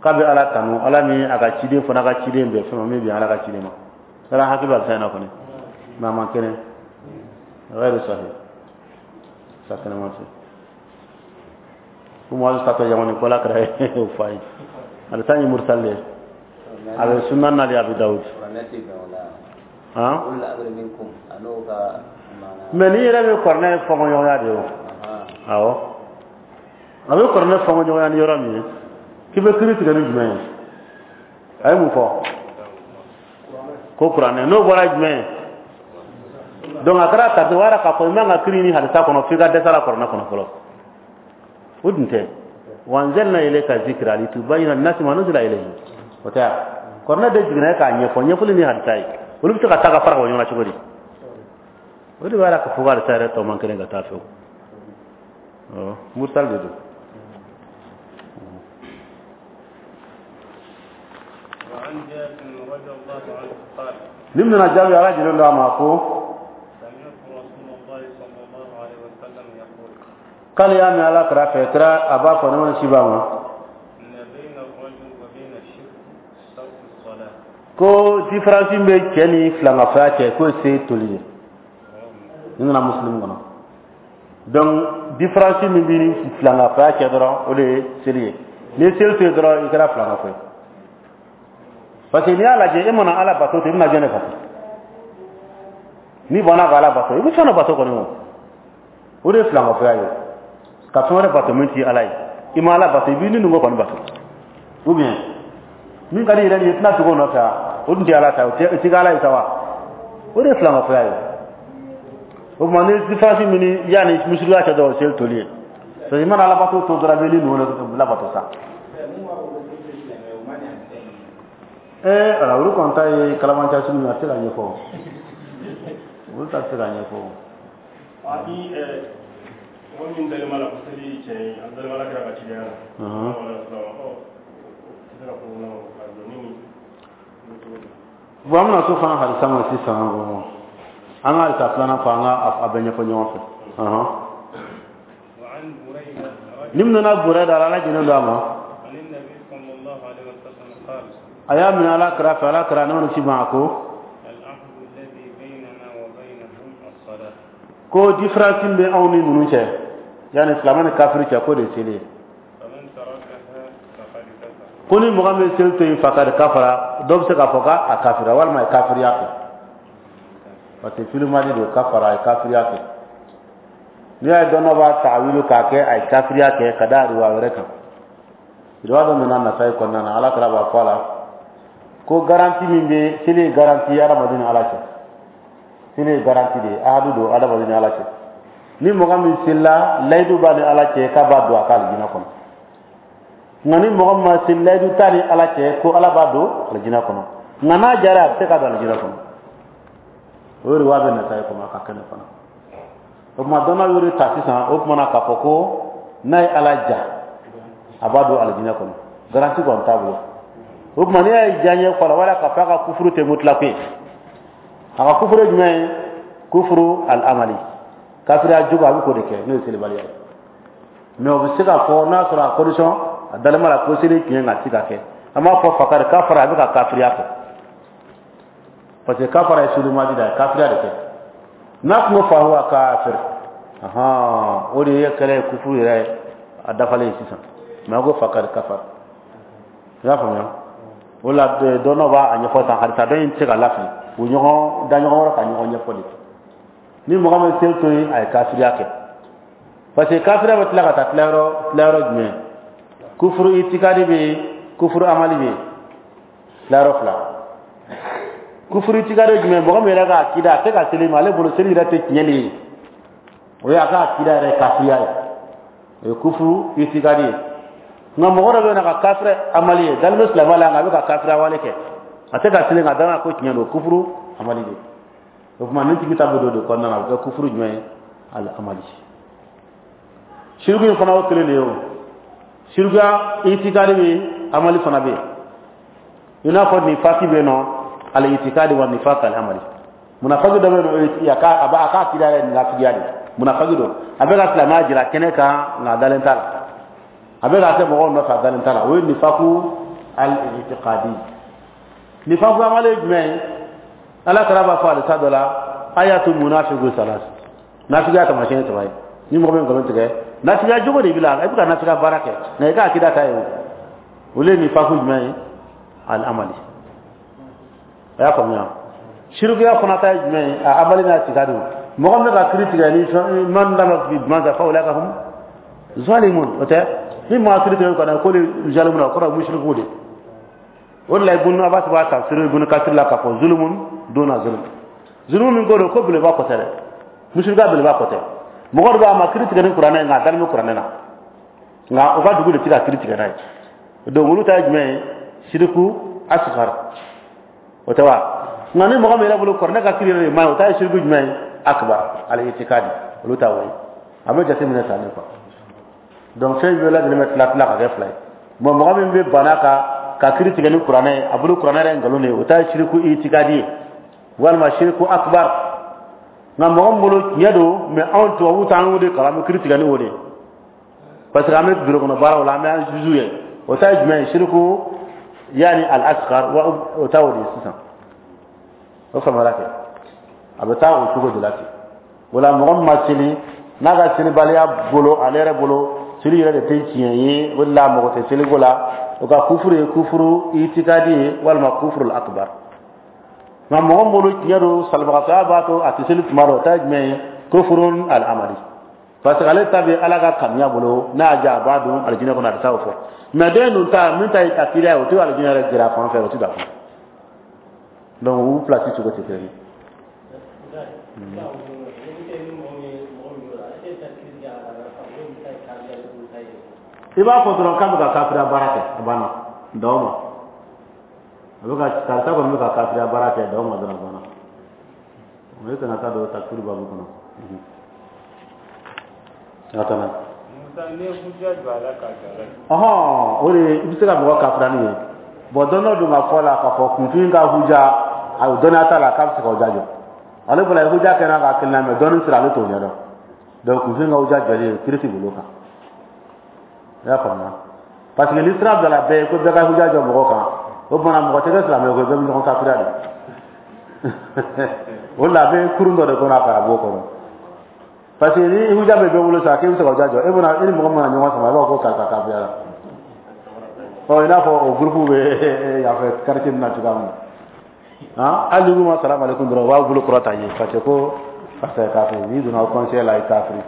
k'a bɛ Ala tanu, Ala min a ka ciden fana ka ciden bɛn fɛn ma min bɛn Ala ka ciden ma. Ala hakili b'a fɛn na kɔni, mɛ a man kɛnɛ, غير صحيح sa kɛnɛma tɛ. Ko Muazu tatɔ Yamani, ko Ala kɛra o fɔ a ye. A bɛ taa ye mursal de ye, a bɛ sunan na de Abi Dawud. Kuranɛ tɛ bɛn o la. Han. Ulul amri minkum a n'o ka maana. Mɛ n'i yɛrɛ bɛ kuranɛ fɔnkɔɲɔgɔnya de ye o. Awɔ, a bɛ kuranɛ fɔnkɔɲɔgɔnya ni yɔrɔ min ye k'i bɛ kiiri tigɛ ni jumɛn ye? A ye mun fɔ? Ko kuranɛ. N'o bɔra jumɛn ye? Donc a kɛra kati o yɛrɛ k'a fɔ i man ka kiiri ni hadisa kɔnɔ f'i ka dɛsɛ la kuranɛ kɔnɔ fɔlɔ. O dun tɛ. Wa anzalna ilayka zikra litubayyina linnasi ma nuzila ilayhim. O tɛ wa? Kuranɛ de jiginna e k'a ɲɛfɔ, ɲɛfɔli ni hadisa ye, olu bɛ se ka taa ka fara ka bɔ ɲɔgɔn na cogo di? O de b'a yira k'a fɔ ko hadisa yɛrɛ tɔ man kɛnɛ ka taa fɛ o. Mursal de don. وعن جابر رضي الله عنه قال Ni nana jaabi, Ala jɛlen don a ma, ko سمعت رسول الله صلى الله عليه وسلم يقول k'ale y'a mɛn Ala kira fɛ, kira a b'a fɔ ne ma si b'a ma إن بين الرجل وبين الشرك ترك الصلاة. Ko différence bɛ cɛ ni filankafoya cɛ, k'o ye se toli ye. Ni nana Muslim kɔnɔ. Donc différence min bɛ ni filankafoya cɛ dɔrɔn, o de ye seli ye. N'i ye seli to yen dɔrɔn, i kɛra filankafo ye, parce que n'i y'a lajɛ, e mana Ala bato ten, i bɛna jɔn de bato? N'i banna ka Ala bato, i bɛ fɛn dɔ bato kɔni. O o de ye filankafoya ye, ka fɛn wɛrɛ bato min t'i Ala ye. I ma Ala bato, i b'i ni numu kɔni bato, ou bien min ka di i yɛrɛ ye, i tɛna tugu o nɔfɛ wa? O dun tɛ Ala ta ye, o tɛ kɛ Ala ye sa wa? O de ye filankafoya ye. O tuma ni différence min ni yanni misiriya cɛ dɔrɔn, o seli toli ye, parce que i mana Ala bato to dɔrɔn, i bɛ ni numu labato sa. Ee ala, olu kɔni ta ye kalabanciya sugu min ye, a tɛ se ka ɲɛfɔ, olu ta tɛ se ka ɲɛfɔ. Ni mɔgɔ min dalen b'a la ko seli tiɲɛ ye, a dalen b'a la kira ka cidenya la, sallallahu alaihi wasallam, ɔ, tɛ se ka fɔ ko ka jɔ ni nin. Bon, an bɛna so fana hadisa ma sisan. Bon, an ka hadisa filanan fɔ, an ka a bɛɛ ɲɛfɔ ɲɔgɔn fɛ. وعن بريدة Ni min nana Burayida, Ala jɛnnen don a ma، عن النبي صلى الله عليه وسلم قال a y'a minɛ Ala kira fɛ, Ala kira ne ma ci ma, a ko العهد الذي بيننا وبينهم الصلاة. Ko différence min bɛ anw ni ninnu cɛ, yanni silamɛ ni kafiri cɛ, k'o de ye seli ye. فمن تركها فقد كفر. Ko ni mɔgɔ min bɛ seli to yen, فقد كفر. Dɔw bɛ se k'a fɔ k'a kafira walima a ye kafiriya kɛ, parce que filimadi don. كفر, a ye kafiriya kɛ. N'i y'a ye dɔn dɔ b'a tawilu k'a kɛ a ye kafiriya kɛ, ka da riwaya wɛrɛ kan. Riwaya dɔ nana Nasayi kɔnɔna na, Ala kira b'a fɔ a la ko garantie min bɛ seli ye, garantie ye adamaden ni Ala cɛ. Seli ye garantie de ye, ahadu don adamaden ni Ala cɛ. Ni mɔgɔ min selila, layidu b'a ni Ala cɛ k'a b'a don a ka alijinɛ kɔnɔ. Nka ni mɔgɔ min ma seli, layidu t'a ni Ala cɛ ko Ala b'a don alijinɛ kɔnɔ. Nka n'a jara, a bɛ se ka don alijinɛ kɔnɔ. O riwaya bɛ Nasayi kɔnɔ, a ka kɛnɛ fana. O tuma dɔnna y'o de ta sisan, o tuma na k'a fɔ ko n'a ye Ala ja, a b'a don alijinɛ kɔnɔ, garantie kɔni t'a bolo. O tuma n'i y'a ye diyaɲɛ fɔlɔ wala k'a fɔ a ka kufuru tɛ mutlaq ye. A ka kufuru ye jumɛn ye? كفر العملي. Kafiriya jugu, a bɛ k'o de kɛ, n'o ye selibaliya ye. Mais o bɛ se ka fɔ n'a sɔrɔ a condition a dalen b'a la ko seli tiɲɛ, nka a tɛ ka kɛ. An b'a fɔ fakari kafara, a bɛ ka kafiriya kɛ, parce que kafara ye sulimadi de ye, kafiriya de kɛ. N'a tun ko fahuwa kafir, ahan, o de ye kɛlɛ ye, kufuru yɛrɛ ye a dafalen ye sisan. Mais a ko fakari kafara, i y'a faamuya? O la, dɔnnaw b'a ɲɛfɔ tan, hadisa dɔ in tɛ se ka lafili, u ɲɔgɔn da ɲɔgɔn wɛrɛ ka ɲɔgɔn ɲɛfɔ de. Ni mɔgɔ min seli to yen, a ye kafiriya kɛ, parce que kafiriya bɛ tila ka taa tilayɔrɔ tilayɔrɔ jumɛn? Kufuru itikadi bɛ yen, kufuru amali bɛ yen, tilayɔrɔ fila. Kufuru itikadi jumɛn? Mɔgɔ min yɛrɛ ka akida, a tɛ ka seli, ma ale bolo seli yɛrɛ tɛ tiɲɛ de ye, o ye a ka akida yɛrɛ kafiriya ye, o ye kufuru itikadi ye. Nka mɔgɔ dɔ bɛ yen, ka kafiri amali ye, dalen bɛ silamɛya la, nka a bɛ ka kafiriya wale kɛ, a tɛ ka seli, nka dana ko tiɲɛ don, kufuru amali de. O tuma, nin tigi ta bɛ don de kɔnɔna na, a bɛ kɛ kufuru jumɛn ye? Al amali. Siriku in fana, o kelen de ye. O sirikuya itikadi bɛ yen, amali fana bɛ yen. I n'a fɔ nifaki bɛ yen nɔ, al itikadi wa nifaq al amali. Munafaki dɔ bɛ yen nɔ, a ka a b'a a ka akida yɛrɛ munafigiya de. Munafaki don, a bɛ ka silamɛya jira kɛnɛ kan, nka a dalen t'a la, a bɛ ka kɛ mɔgɔw nɔfɛ, a dalen t'a la. O ye nifaku al itiqadi. Nifaku amali ye jumɛn ye? Ala kɛra b'a fɔ alisa dɔ la: ayatu munafiqu salas, nafigiya taamasiyɛn saba ye. Ni mɔgɔ min nkalon tigɛ, nafigiya jogo de b'i la, i bɛ ka nafigiya baara kɛ, nka i ka akida ta ye o. Olu ye nifaku jumɛn ye? Al amali. A y'a faamuya? Sirikuya fana ta ye jumɛn ye? A amali n'a tika don. Mɔgɔ min bɛ ka kiiri tigɛ ni fɛn man dama jumɛn kan, fa ulaika hum zalimun. O tɛ ni maa kiiri tigɛ kana ko ni zalimun, o kɔrɔ musiriku de. O de la, Ibunu Abbas b'a tafsir Ibunu Kasir la k'a fɔ zulumun duna zulum. Zulumu min ko don, ko beleba kɔ tɛ dɛ, musirikuya beleba kɔ tɛ. Mɔgɔ dɔ b'a ma kiiri tigɛ ni kuranɛ ye, nka a dalen bɛ kuranɛ na, nka u ka dugu de tɛ ka kiiri tigɛ n'a ye. Donc olu ta ye jumɛn ye? Siriku asghar, o tɛ wa? Nka ni mɔgɔ min yɛrɛ bolo kuranɛ ka kiiri yɛrɛ de ma ɲi, o ta ye siriku jumɛn ye? Akbar al itikadi. Olu ta o ye, a bɛ jateminɛ tan de quoi. Donc fɛn bɛɛ lajɛlen bɛ tila tila ka kɛ fila ye. Bon, mɔgɔ min bɛ bana ka ka kiiri tigɛ ni kuranɛ ye, a bolo kuranɛ yɛrɛ ye nkalon de ye, o ta ye siriku itikadi ye walima siriku akbar. Nka mɔgɔ min bolo tiɲɛ don, mais anw tubabuw t'an y'o de kalan, an bɛ kiiri tigɛ ni o de ye, parce que an bɛ bureau kɔnɔ baaraw la, an bɛ an juge ye, o ta ye jumɛn ye? Siriku yaani al asghar wa, o ta o de ye sisan. O faamuyara kɛ, a bɛ taa o cogo de la ten. O la, mɔgɔ min ma seli, n'a ka selibaliya bolo, ale yɛrɛ bolo seli yɛrɛ de tɛ tiɲɛ ye, o de la mɔgɔ tɛ seliko la, o ka kufuru ye kufuru itikadi ye walima kufuru akbar. Nka mɔgɔ min bolo tiɲɛ don, salibagatɔya b'a to a tɛ seli tuma dɔ, o ta ye jumɛn ye? Kufurun al amali, parce que ale ta bɛ Ala ka kanuya bolo, n'a y'a diya a b'a don alijinɛ kɔnɔ, a tɛ taa o fɔ. Mais den dun ta min ta ye akida ye, o tɛ alijinɛ yɛrɛ gɛrɛ a fan fɛ, o tɛ don a kɔnɔ. Donc u place cogo tɛ kelen ye. I b'a fɔ dɔrɔn k'a bɛ ka kafiriya baara kɛ, a banna, dan o ma. A bɛ ka karisa kɔni bɛ ka kafiriya baara kɛ, dan o ma dɔrɔn, a banna. O ye kana taa don takfiri babu kɔnɔ. A kana. Ɔhɔn, o de i bɛ se ka mɔgɔ kafiriya n'o ye. Bon, dɔn dɔ don ka fɔ la k'a fɔ kunfin ka huja, a dɔnniya t'a la k'a bɛ se k'o jaabi. Ale bɔra huja kɛra k'a kelen na, mɛ dɔnni sira ale t'o ɲɛdɔn. Donc kunfin ka huja jɔlen kiiri ti bolo kan, i y'a faamuya? Parce que ni sira bilala bɛɛ ye ko bɛɛ ka huja jɔ mɔgɔ kan, o tuma mɔgɔ tɛ kɛ silamɛ ye ko bɛɛ bɛ ɲɔgɔn kafiriya de. O de la, a bɛ kurun dɔ de kɔnɔ, a ka b'o kɔnɔ, parce que ni huja bɛ bɛɛ bolo sisan k'e bɛ se ka huja jɔ, e bɛna e ni mɔgɔ min mana ɲɔgɔn sama, i b'a fɔ ko karisa kafiriya la. Ɔ, i n'a fɔ o groupe bɛ yan fɛ quartier nin na cogoya min na, han, hali n'i k'u ma salamu aleykum dɔrɔn, u b'a bolo kɔrɔta ye, parce que ko karisa ye kafiri. N'i donna conseil la, i kafiri.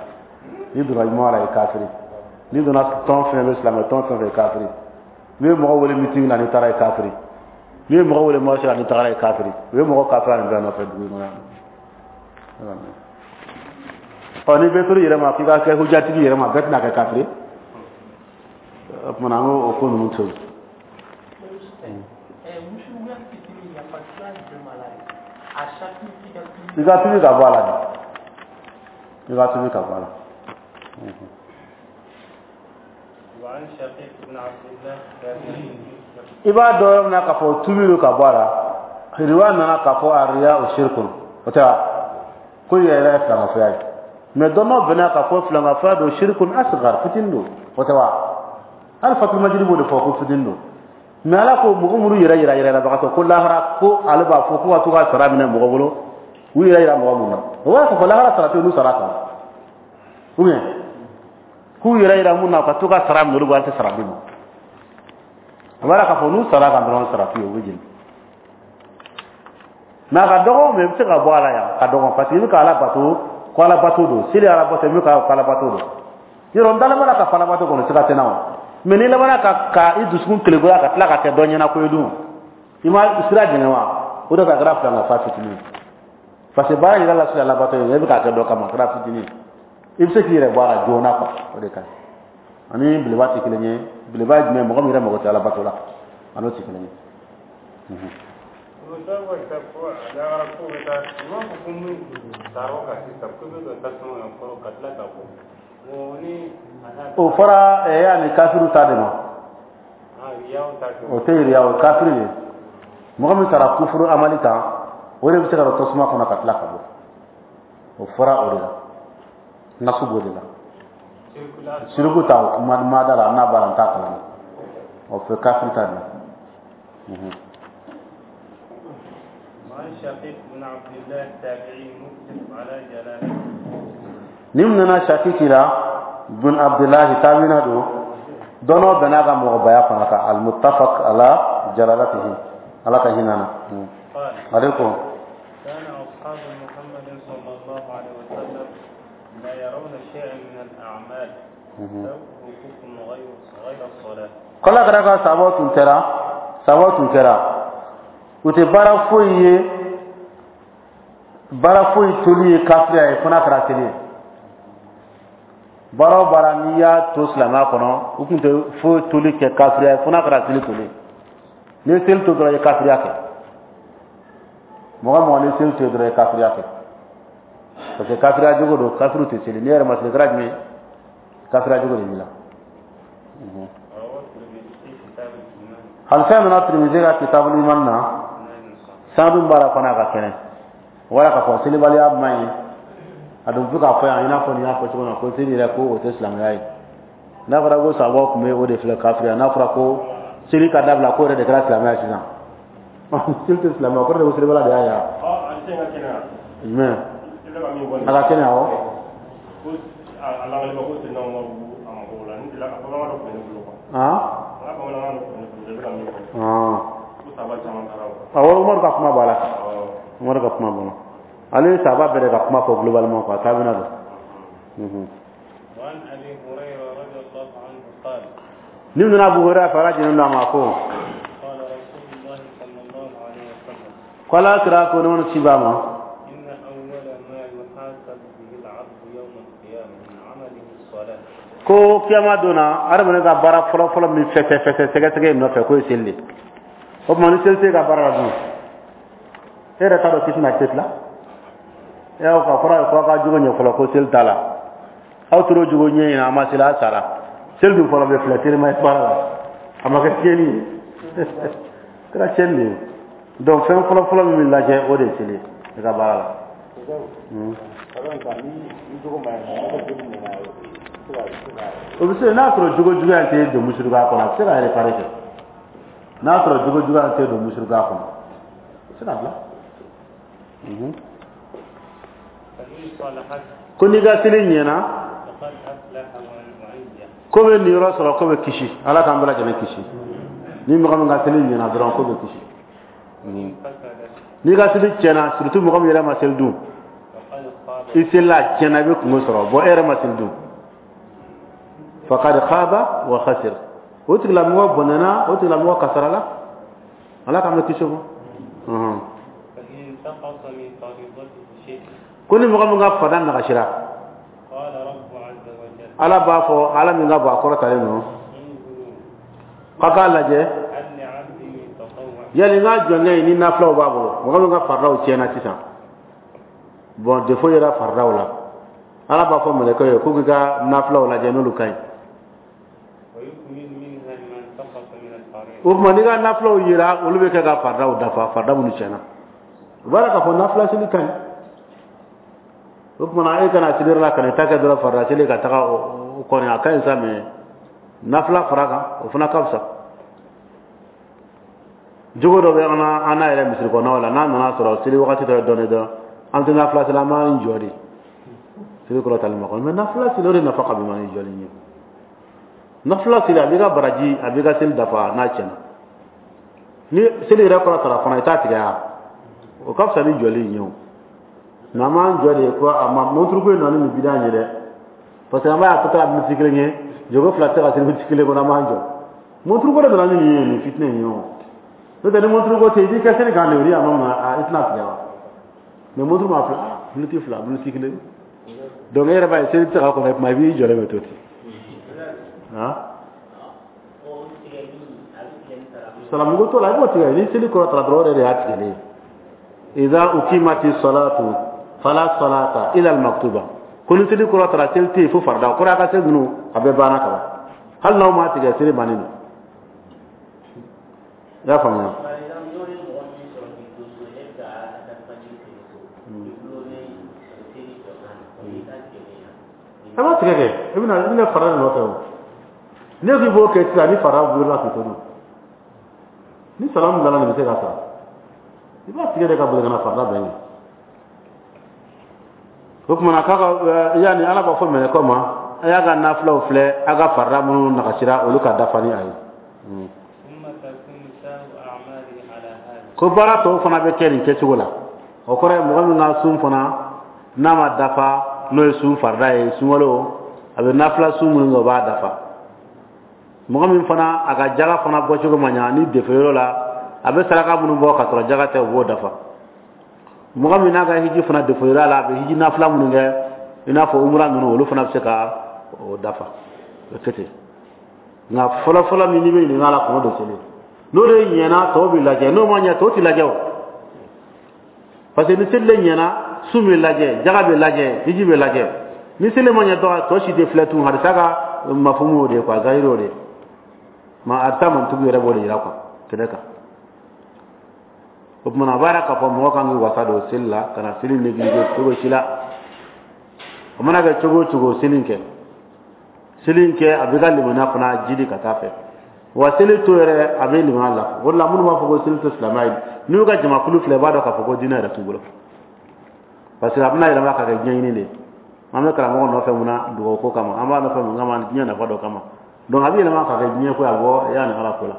N'i donna ɲuman la, i kafiri. N'i donna tɔn fɛn bɛ, silamɛ tɔn fɛn fɛn, kafiri. N'i ye mɔgɔ wele meeting na, n'i taara, i kafiri. N'i ye mɔgɔ wele marché la, n'i tagara, i kafiri. U ye mɔgɔ kafiri nin bɛɛ nɔfɛ dugu in kɔnɔ yan. Ɔ, ni bɛɛ tor'i yɛrɛ ma k'i ka kɛ hujatigi yɛrɛ ma, bɛɛ tɛna kɛ kafiri. O tuma na, an k'o ko ninnu to yen. I ka tubi ka bɔ a la de, i ka tubi ka bɔ a la. I b'a dɔn yɔrɔ min na k'a fɔ tubi don ka bɔ a la, riwaya nana k'a fɔ ariya o shirikun, o tɛ wa? Ko yɛrɛ yɛrɛ ye filankafoya ye. Mais dɔnnaw bɛnna k'a fɔ filankafoya don, shirikun asgar, fitinin don, o tɛ wa? Hali Fatul Majidi b'o de fɔ ko fitinin don. Mais Ala ko mɔgɔ minnu yɛrɛ yira yɛrɛbagatɔ ko lahara, ko ale b'a fɔ ko ka to ka sara minɛ mɔgɔ bolo, u yɛrɛ yira mɔgɔ mun na, o b'a fɔ lahara sara tɛ olu sara kan, ou bien k'u yɛrɛ yira mun na ka to ka sara minɛ olu bolo, an tɛ sara d'u ma. O b'a k'a fɔ n'u sara kan dɔrɔn, sara t'u ye, u bɛ jeni. Mais a ka dɔgɔ, mais i bɛ se ka bɔ a la yan ka dɔgɔ, parce que i bɛ ka Ala bato ko Ala bato don, seli Ala bato, i bɛ ka ko Ala bato don. Yɔrɔ n dalen b'a la ka fɔ Ala bato kɔnɔ, siga tɛ n na o. Mais n'i labanna ka ka i dusukun kelegoya ka tila ka kɛ dɔ ɲɛna ko ye dun, i ma sira jɛngɛ wa? O de ka kɛra filan ka fa fitinin ye, parce que baara yɛrɛ la sira labato ye, e bɛ k'a kɛ dɔ kama, a kɛra fitinin ye, i bɛ se k'i yɛrɛ bɔ a la joona quoi. O de ka ɲi. Ani beleba tɛ kelen ye. Beleba ye jumɛn ye? Mɔgɔ min yɛrɛ mago tɛ Ala bato la, a n'o tɛ kelen ye. O ta wa ta ko lahara ko bɛ taa, u b'a fɔ ko min sara o kan sisan ko bɛ don tasuma na fɔlɔ ka tila ka bɔ. Bon, ni a n'a O fɔra ɛ yanni kafiru ta de ma. Ah, riyaw ta kɛ. O tɛ yiriya, o ye kafiri de ye. Mɔgɔ min sara kufuru amali kan, o de bɛ se ka don tasuma kɔnɔ ka tila ka bɔ. O fɔra o de la, nasu b'o de la. Circulation. Siriku ta, o ma ma da la, n'a b'a la, n t'a kalama. O fɛ kafiri ta de la. Mhm. وعن شقيق بن عبد الله التابعي متفق على جلالته. Ni mun nana Shakiki la bun Abdullahi, tabina don, dɔnɔ bɛn'a ka mɔgɔbaya fana kan, almuttafaq ala jalalatihi, Ala ka hinɛ na. Mhm. قال Ale ko كان أصحاب محمد صلى الله عليه وسلم لا يرون شيئا من الأعمال Mhm. سوء كفر غير غير الصلاة. Kɔla kɛra ka sababu tun kɛra sababu tun kɛra u tɛ baara foyi ye, baara foyi toli ye kafiriya ye fo n'a kɛra seli ye. Baara o baara n'i y'a to silamɛya kɔnɔ, u tun tɛ foyi toli kɛ kafiriya ye fo n'a kɛra seli toli ye. N'i ye seli to dɔrɔn, i ye kafiriya kɛ. Mɔgɔ mɔgɔ n'i ye seli to yen dɔrɔn, i ye kafiriya kɛ, parce que kafiriya jogo don. Kafiriw tɛ seli. N'i yɛrɛ ma seli, kɛra jumɛn ye? Kafiriya jogo de b'i la. Mhm. رواه الترمذي في كتاب الإيمان. Hadisa nana Tirimizi ka kitabul iman na. إسناد صحيح. Sanadu b'a la fana, a ka kɛnɛ. Wala k'a fɔ selibaliya man ɲi, a dun bɛ k'a fɔ yan i n'a fɔ nin y'a fɔ cogo min na ko seli yɛrɛ ko o tɛ silamɛya ye. N'a fɔra ko sababu tun bɛ o de filɛ kafiriya, n'a fɔra ko seli ka dabila ko yɛrɛ de kɛra silamɛya sisan, seli tɛ silamɛya, o kɔrɔ de ko selibaliya de y'a ye wa? Ɔ, a tɛ ka kɛnɛ wa? Jumɛn? I bɛ ka min fɔ nin A ka kɛnɛ, awɔ. Ko a a lakalima ko Seydina Umaru a mago la n delila a bamanankan dɔ tun bɛ ne bolo quoi. Han. N ka bamanankan dɔ tun bɛ ne bolo, i bɛ ka min fɔ han ko saba caman taara o. Awɔ, Umaru ka kuma b'a la. Awɔ. Umaru ka kuma b'a la. Ale ye sahaba bɛɛ de ka kuma fɔ globalement quoi, taabina don. Mhm. وعن أبي هريرة رضي الله عنه قال Ni nana Abu Hurairah fɛ, Ala jɛnnen don a ma, ko قال رسول الله صلى الله عليه وسلم ko Ala kira ko ne ci b'a ma إن أول ما يحاسب به العبد يوم القيامة من عمله الصلاة. Ko kiyama donna, adamaden ka baara fɔlɔ fɔlɔ min fɛsɛ fɛsɛ sɛgɛsɛgɛ nɔfɛ, k'o ye seli de. O tuma ni seli tɛ ka baara la dun, e yɛrɛ t'a dɔn k'i tɛna se tila e y'aw ka fɔra ye ko aw ka jogo ɲɛ fɔlɔ, ko seli t'a la. Aw tor'o jogo ɲɛ ɲini, a ma seli, a sara. Seli dun fɔlɔ bɛ filɛ telima ye baara la, a ma kɛ tiɲɛni ye, kɛra tiɲɛni de ye. Donc fɛn fɔlɔ fɔlɔ min bɛ lajɛ, o de ye seli ye i ka baara la. Hmm. O bɛ se n'a sɔrɔ jogo juguya tɛ don musirikuya kɔnɔ, a bɛ se ka réparer kɛ. N'a sɔrɔ jogo juguya tɛ don musirikuya kɔnɔ, a bɛ se ka bila. Mhm. فإن صلحت Ko n'i ka seli ɲɛna, فقد أفلح وأنجح. Ko bɛ niyɔrɔ sɔrɔ, ko bɛ kisi. Ala k'an bɛɛ lajɛlen kisi. Ni mɔgɔ min ka seli ɲɛna dɔrɔn, ko bɛ kisi. وإن فسدت N'i ka seli tiɲɛna, surtout mɔgɔ min yɛrɛ ma seli dun, فقد خاب. I selila, a tiɲɛna, i bɛ kungo sɔrɔ. Bon, e yɛrɛ ma seli dun, faqad khaba wa khasir, o tigilamɔgɔ bɔnɛna, o tigilamɔgɔ kasarala. Ala k'an bɛ kisi o ma. Ɔhɔn. فإن انتقص من فريضته شيء Ko ni mɔgɔ min ka fada nagasira, قال رب عز وجل Ala b'a fɔ, Ala min ka bɔ a kɔrɔtalen don, انظروا k'a k'a lajɛ هل لعبدي من تطوع. Yali n ka jɔnkɛ in ni nafilaw b'a bolo. Mɔgɔ min ka faridaw tiɲɛna sisan, bon, défaut yera faridaw la, Ala b'a fɔ mɛlɛkɛw ye k'u k'i ka nafilaw lajɛ n'olu ka ɲi. ويكمل منها ما انتقص من الفريضة. O tuma n'i ka nafilaw yera, olu bɛ kɛ ka faridaw dafa, farida minnu tiɲɛna. O b'a la k'a fɔ nafila seli ka ɲi. O tuma na e kana seli la ka n'i ta kɛ dɔrɔn farida seli ka taga o kɔni a ka ɲi sa, mais nafila fara kan o fana ka fisa. Jogo dɔ bɛ an na an n'a yɛrɛ misiri kɔnɔnaw la, n'a nana sɔrɔ seli wagati dɔ ye dɔɔnin dɔrɔn, an tɛ nafila seli, an b'an jɔ de seli kɔrɔ tali ma kɔnɔ. Mais nafila seli, o de nafa ka bon ni jɔli ye. Nafila seli, a b'i ka baraji, a b'i ka seli dafa n'a tiɲɛna. Ni seli yɛrɛ kɔrɔ tara fana, i t'a tigɛ ya, o ka fisa ni jɔli in ye. O nka an b'an jɔ de ko a ma monturuko in nana ni nin bidan ye dɛ, parce que an b'a ye a tɔ tora miniti kelen ye, jogo fila tɛ se ka seli miniti kelen kɔnɔ, an b'an jɔ. Monturuko de nana ni nin ye, nin fitinɛ in ye. O n'o tɛ, ni monturuko tɛ, i b'i kɛ seli kan de, o ni a ma ma i tɛna tigɛ wa. Mais monturu ma fila, miniti fila, miniti kelen, donc e yɛrɛ b'a ye seli tɛ se ka kɔnɔ kuma, i b'i jɔlen bɛ to ten. Han, salamuko t'o la, i b'o tigɛ ni seli kɔrɔ tara dɔrɔn, o yɛrɛ de y'a tigɛlen ye. Idha ukimati salatu fala salata ila al-maktuba. Ko ni seli kɔrɔ tara, seli tɛ yen fo farida. O kɔrɔ a ka seli ninnu a bɛɛ banna ka ban, hali n'aw m'a tigɛ, seli bannen don. I y'a faamuya? Par exemple, n'o ye mɔgɔ min sɔrɔ k'i to so, e bɛ ka fajiri seli so, i gulonnen seli jɔ kan na, o y'i ka tigɛlen ye. A b'a tigɛ kɛ, i bɛna i bɛna farida de nɔfɛ. O ne k'i b'o kɛ sisan, ni farida wulila k'i to dun, ni salamu bilala, nin bɛ se ka sara, i b'a tigɛ de ka boli ka na farida bɛn ye. O tuma na k'a ka yanni Ala b'a fɔ mɛlɛkɛw ma, a y'a ka nafilaw filɛ, a ka farida minnu nagasira, olu ka dafa ni a ye. ثم تكون سائر أعماله على هذا. Ko baara tɔw fana bɛ kɛ nin kɛcogo la. O kɔrɔ ye mɔgɔ min ka sun fana n'a ma dafa, n'o ye sun farida ye, sunkalo, a bɛ nafila sun minnu kɛ, o b'a dafa. Mɔgɔ min fana a ka jaga fana bɔcogo ma ɲa ni defe yɔrɔ la, a bɛ saraka minnu bɔ ka sɔrɔ jaga tɛ, o b'o dafa. Mɔgɔ min n'a ka hiji fana defe yɔrɔ la, a bɛ hiji nafila minnu kɛ, i n'a fɔ umura ninnu, olu fana bɛ se ka o dafa. O kɛ ten. Nka fɔlɔfɔlɔ min n'i bɛ ɲininka a la, kɔnɔ don seli, n'o de ɲɛna, tɔw bɛ lajɛ, n'o ma ɲɛ, tɔw tɛ lajɛ. O parce que ni seli de ɲɛna, sun bɛ lajɛ, jaga bɛ lajɛ, hiji bɛ lajɛ. Ni seli ma ɲɛ dɔrɔn, tɔ si tɛ filɛ tun. Hadisa ka mafumu y'o de ye quoi, zahiri y'o de ye. Ma hadisa mantugu yɛrɛ b'o de yira quoi kɛnɛ kan. O tuma na a b'a yira k'a fɔ mɔgɔ kan k'i wasa don seli la, ka na seli négliger cogo si la. O mana kɛ cogo o cogo, seli kɛ, seli kɛ, a b'i ka limaniya fana jidi ka taa fɛ. Wa seli to yɛrɛ, a bɛ limaniya la. O de la minnu b'a fɔ ko seli tɛ silamɛya ye, n'u y'u ka jamakulu filɛ, i b'a dɔn k'a fɔ ko diinɛ yɛrɛ t'u bolo, parce que a bɛna yɛlɛma ka kɛ diɲɛɲini de ye. An bɛ karamɔgɔ nɔfɛ mun na? Dugawu ko kama. An b'a nɔfɛ mun kama? Diɲɛ nafa dɔ kama. Donc a bɛ yɛlɛma ka kɛ diɲɛ ko ye, a bɔ yanni Ala ko la,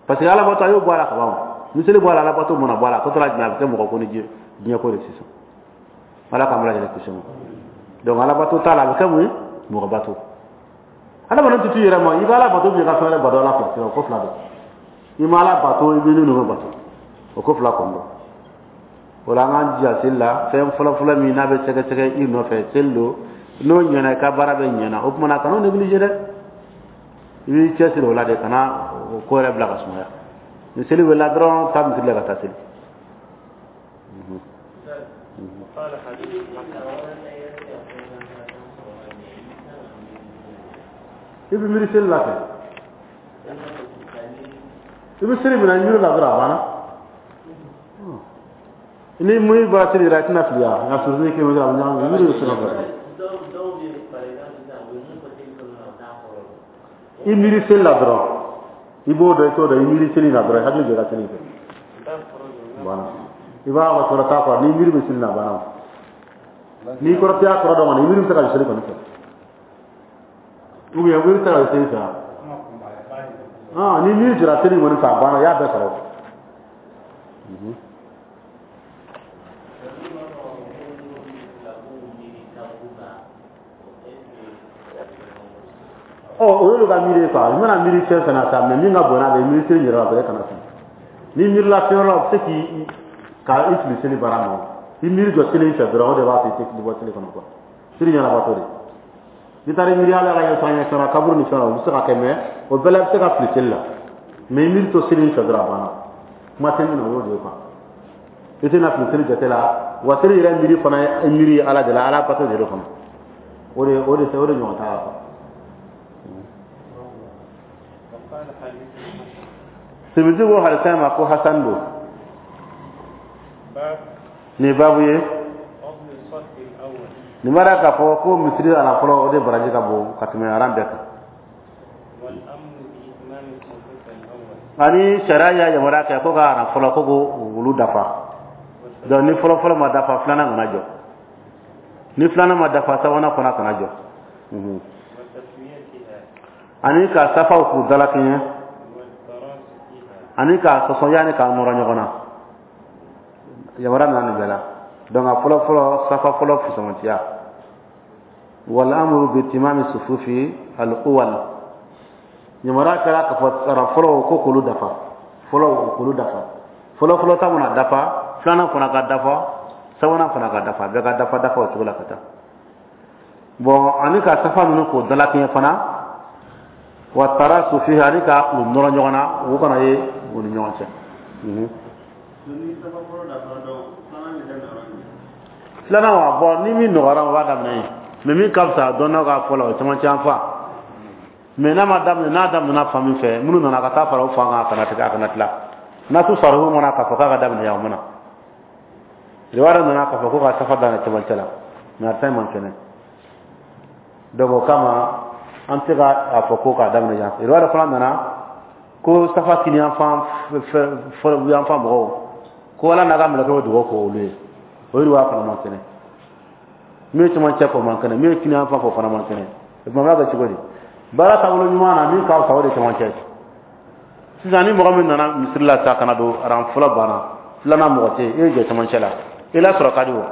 parce que Alabato a y'o bɔ a la ka ban. Ni seli bɔ a la, Alabato mana bɔ a la, a tɔ tora jumɛn? A bɛ kɛ mɔgɔ ko ni diɲɛ diɲɛ ko de sisan. Ala k'an bɛɛ lajɛlen kisi o ma. Donc Alabato t'a la, a bɛ kɛ mun ye? Mɔgɔ bato. Adamaden tɛ t'i yɛrɛ ma, i bɛ Ala bato, i ka fɛn wɛrɛ bato, Ala fila, o ko fila don. I ma Ala bato, i bɛ ninnu bato, o ko fila kɔni don. O la an k'an jija seli la. Fɛn fɔlɔfɔlɔ min n'a bɛ sɛgɛsɛgɛ i nɔfɛ, seli don. N'o ɲɛna, i ka baara bɛ ɲɛna. O tuma na kan'o négliger dɛ, i b'i cɛsiri o la de, kana o ko yɛrɛ bila ka sumaya. Ni seli wulila dɔrɔn, taa misiri la ka taa seli. وقال حديث حسن. I bɛ miiri seli la kɛ, i bɛ seli minɛ, i miiri la dɔrɔn, a banna. Ni mun bɔra seli yɛrɛ, i tɛna fili ya, nka surtout ni kelen bɛ a bɛ ɲagami, i miiri bɛ se ka bɔ. Dɔw dɔw bɛ, par exemple sisan, u bɛ mun fɔ seli kɔnɔna na, u t'a kɔrɔ dɔn. I miiri seli la dɔrɔn, i b'o dɔn, i t'o dɔn, i miiri seli la dɔrɔn, i hakili jɔ ka seli kɛ banna. I b'a ka kɔrɔ t'a kɔrɔ, n'i miiri bɛ seli la, a banna. N'i kɔrɔ tɛ y'a kɔrɔ dɔn kɔni, i miiri bɛ se ka seli kɔni fɛ, ou bien miiri tɛ se ka seli fɛ. Ah, ni miiri jɔra seli kɔni fɛ, a banna, i y'a bɛɛ sɔrɔ. Ɔ, o y'olu ka miiri ye quoi. I mana miiri fɛn fɛn na sa, mais min ka bon n'a bɛɛ ye, miiri seli yɛrɛ la dɔrɔn, e kana fili. Ni miirila fɛn wɛrɛ la, o bɛ se k'i ka i fili seli baara ma. I miiri jɔ seli in fɛ dɔrɔn, o de b'a to i tɛ fili bɔ seli kɔnɔ quoi. Seli ɲɛnabatɔ de, n'i taara miiri ala ka ɲɛsɔn ɲɛsɔn na kaburu ni fɛn na, o bɛ se ka kɛ, mais o bɛɛ la i bɛ se ka fili seli la. Mais i miiri to seli in fɛ dɔrɔn, a banna. Kuma tɛ min na, o y'o de ye quoi. I tɛna fili seli jate la. Wa seli yɛrɛ miiri fana ye miiri ye Ala de la, Ala bato de don fana. O de o de o de ɲɔgɔn t'a la quoi. وقال حديث حسن. Tirmidhi ko hadisa ma ko hasan don. باب Nin ye baabu ye. فضل الصف الأول. Nin b'a k'a fɔ ko misiri aran fɔlɔ o de baraji ka bon ka tɛmɛ aran bɛɛ kan. Ani sariya y'a yamaruya kɛ ko ka aran fɔlɔ ko k'o olu dafa. Donc ni fɔlɔ fɔlɔ ma dafa filanan kana jɔ. Ni filanan ma dafa sabanan fana kana jɔ. Ani ka safaw k'u dalakɛɲɛ. Ani ka sɔsɔ yanni k'a nɔrɔ ɲɔgɔn na. Yamaruya nana nin bɛɛ la. Donc a fɔlɔ fɔlɔ safa fɔlɔ fusamantiya. Wal amru bi timami sufufi al awwal. Yamaruya kɛra k'a fɔ aran fɔlɔ ko k'olu dafa. Fɔlɔ k'olu dafa. Fɔlɔ fɔlɔ ta mana dafa, filanan fana ka dafa, sabanan fana ka dafa, bɛɛ ka dafa dafa o cogo la ka taa. Bon ani ka safa ninnu k'o dalakɛɲɛ fana. Wa tarasu fihi ani ka u nɔrɔ ɲɔgɔn na, u kana ye u ni ɲɔgɔn cɛ. Filanan wa bon ni min nɔgɔyara o b'a daminɛ yen. Mais min ka fisa dɔnnaw ka fɔ la o caman caman fa. Mais n'a ma daminɛ n'a daminɛna fan min fɛ minnu nana ka taa fara o fan kan a kana tigɛ a kana tila. Nasu sarihu mana k'a fɔ k'a ka daminɛ yan o mana. Riwaya nana k'a fɔ ko ka safa daminɛ cɛmancɛ la mais a fɛn man kɛnɛ. Donc o kama an tɛ ka a fɔ ko k'a daminɛ yan. Riwaya fana nana ko safa kini yan fan fɛ yan fan mɔgɔw ko Ala n'a ka mɛlɛkɛw bɛ dugawu k'olu ye. O riwaya fana man kɛnɛ. Min ye cɛmancɛ fɔ man kɛnɛ, min ye kini yan fan fɔ fana man kɛnɛ. O tuma b'a kɛ cogo di? Baara taabolo ɲuman na min ka fisa o de cɛmancɛ ye. Sisan ni mɔgɔ min nana misiri la sisan ka na don aran fɔlɔ banna filanan mɔgɔ tɛ yen e jɔ cɛmancɛ la i lasɔrɔ ka di o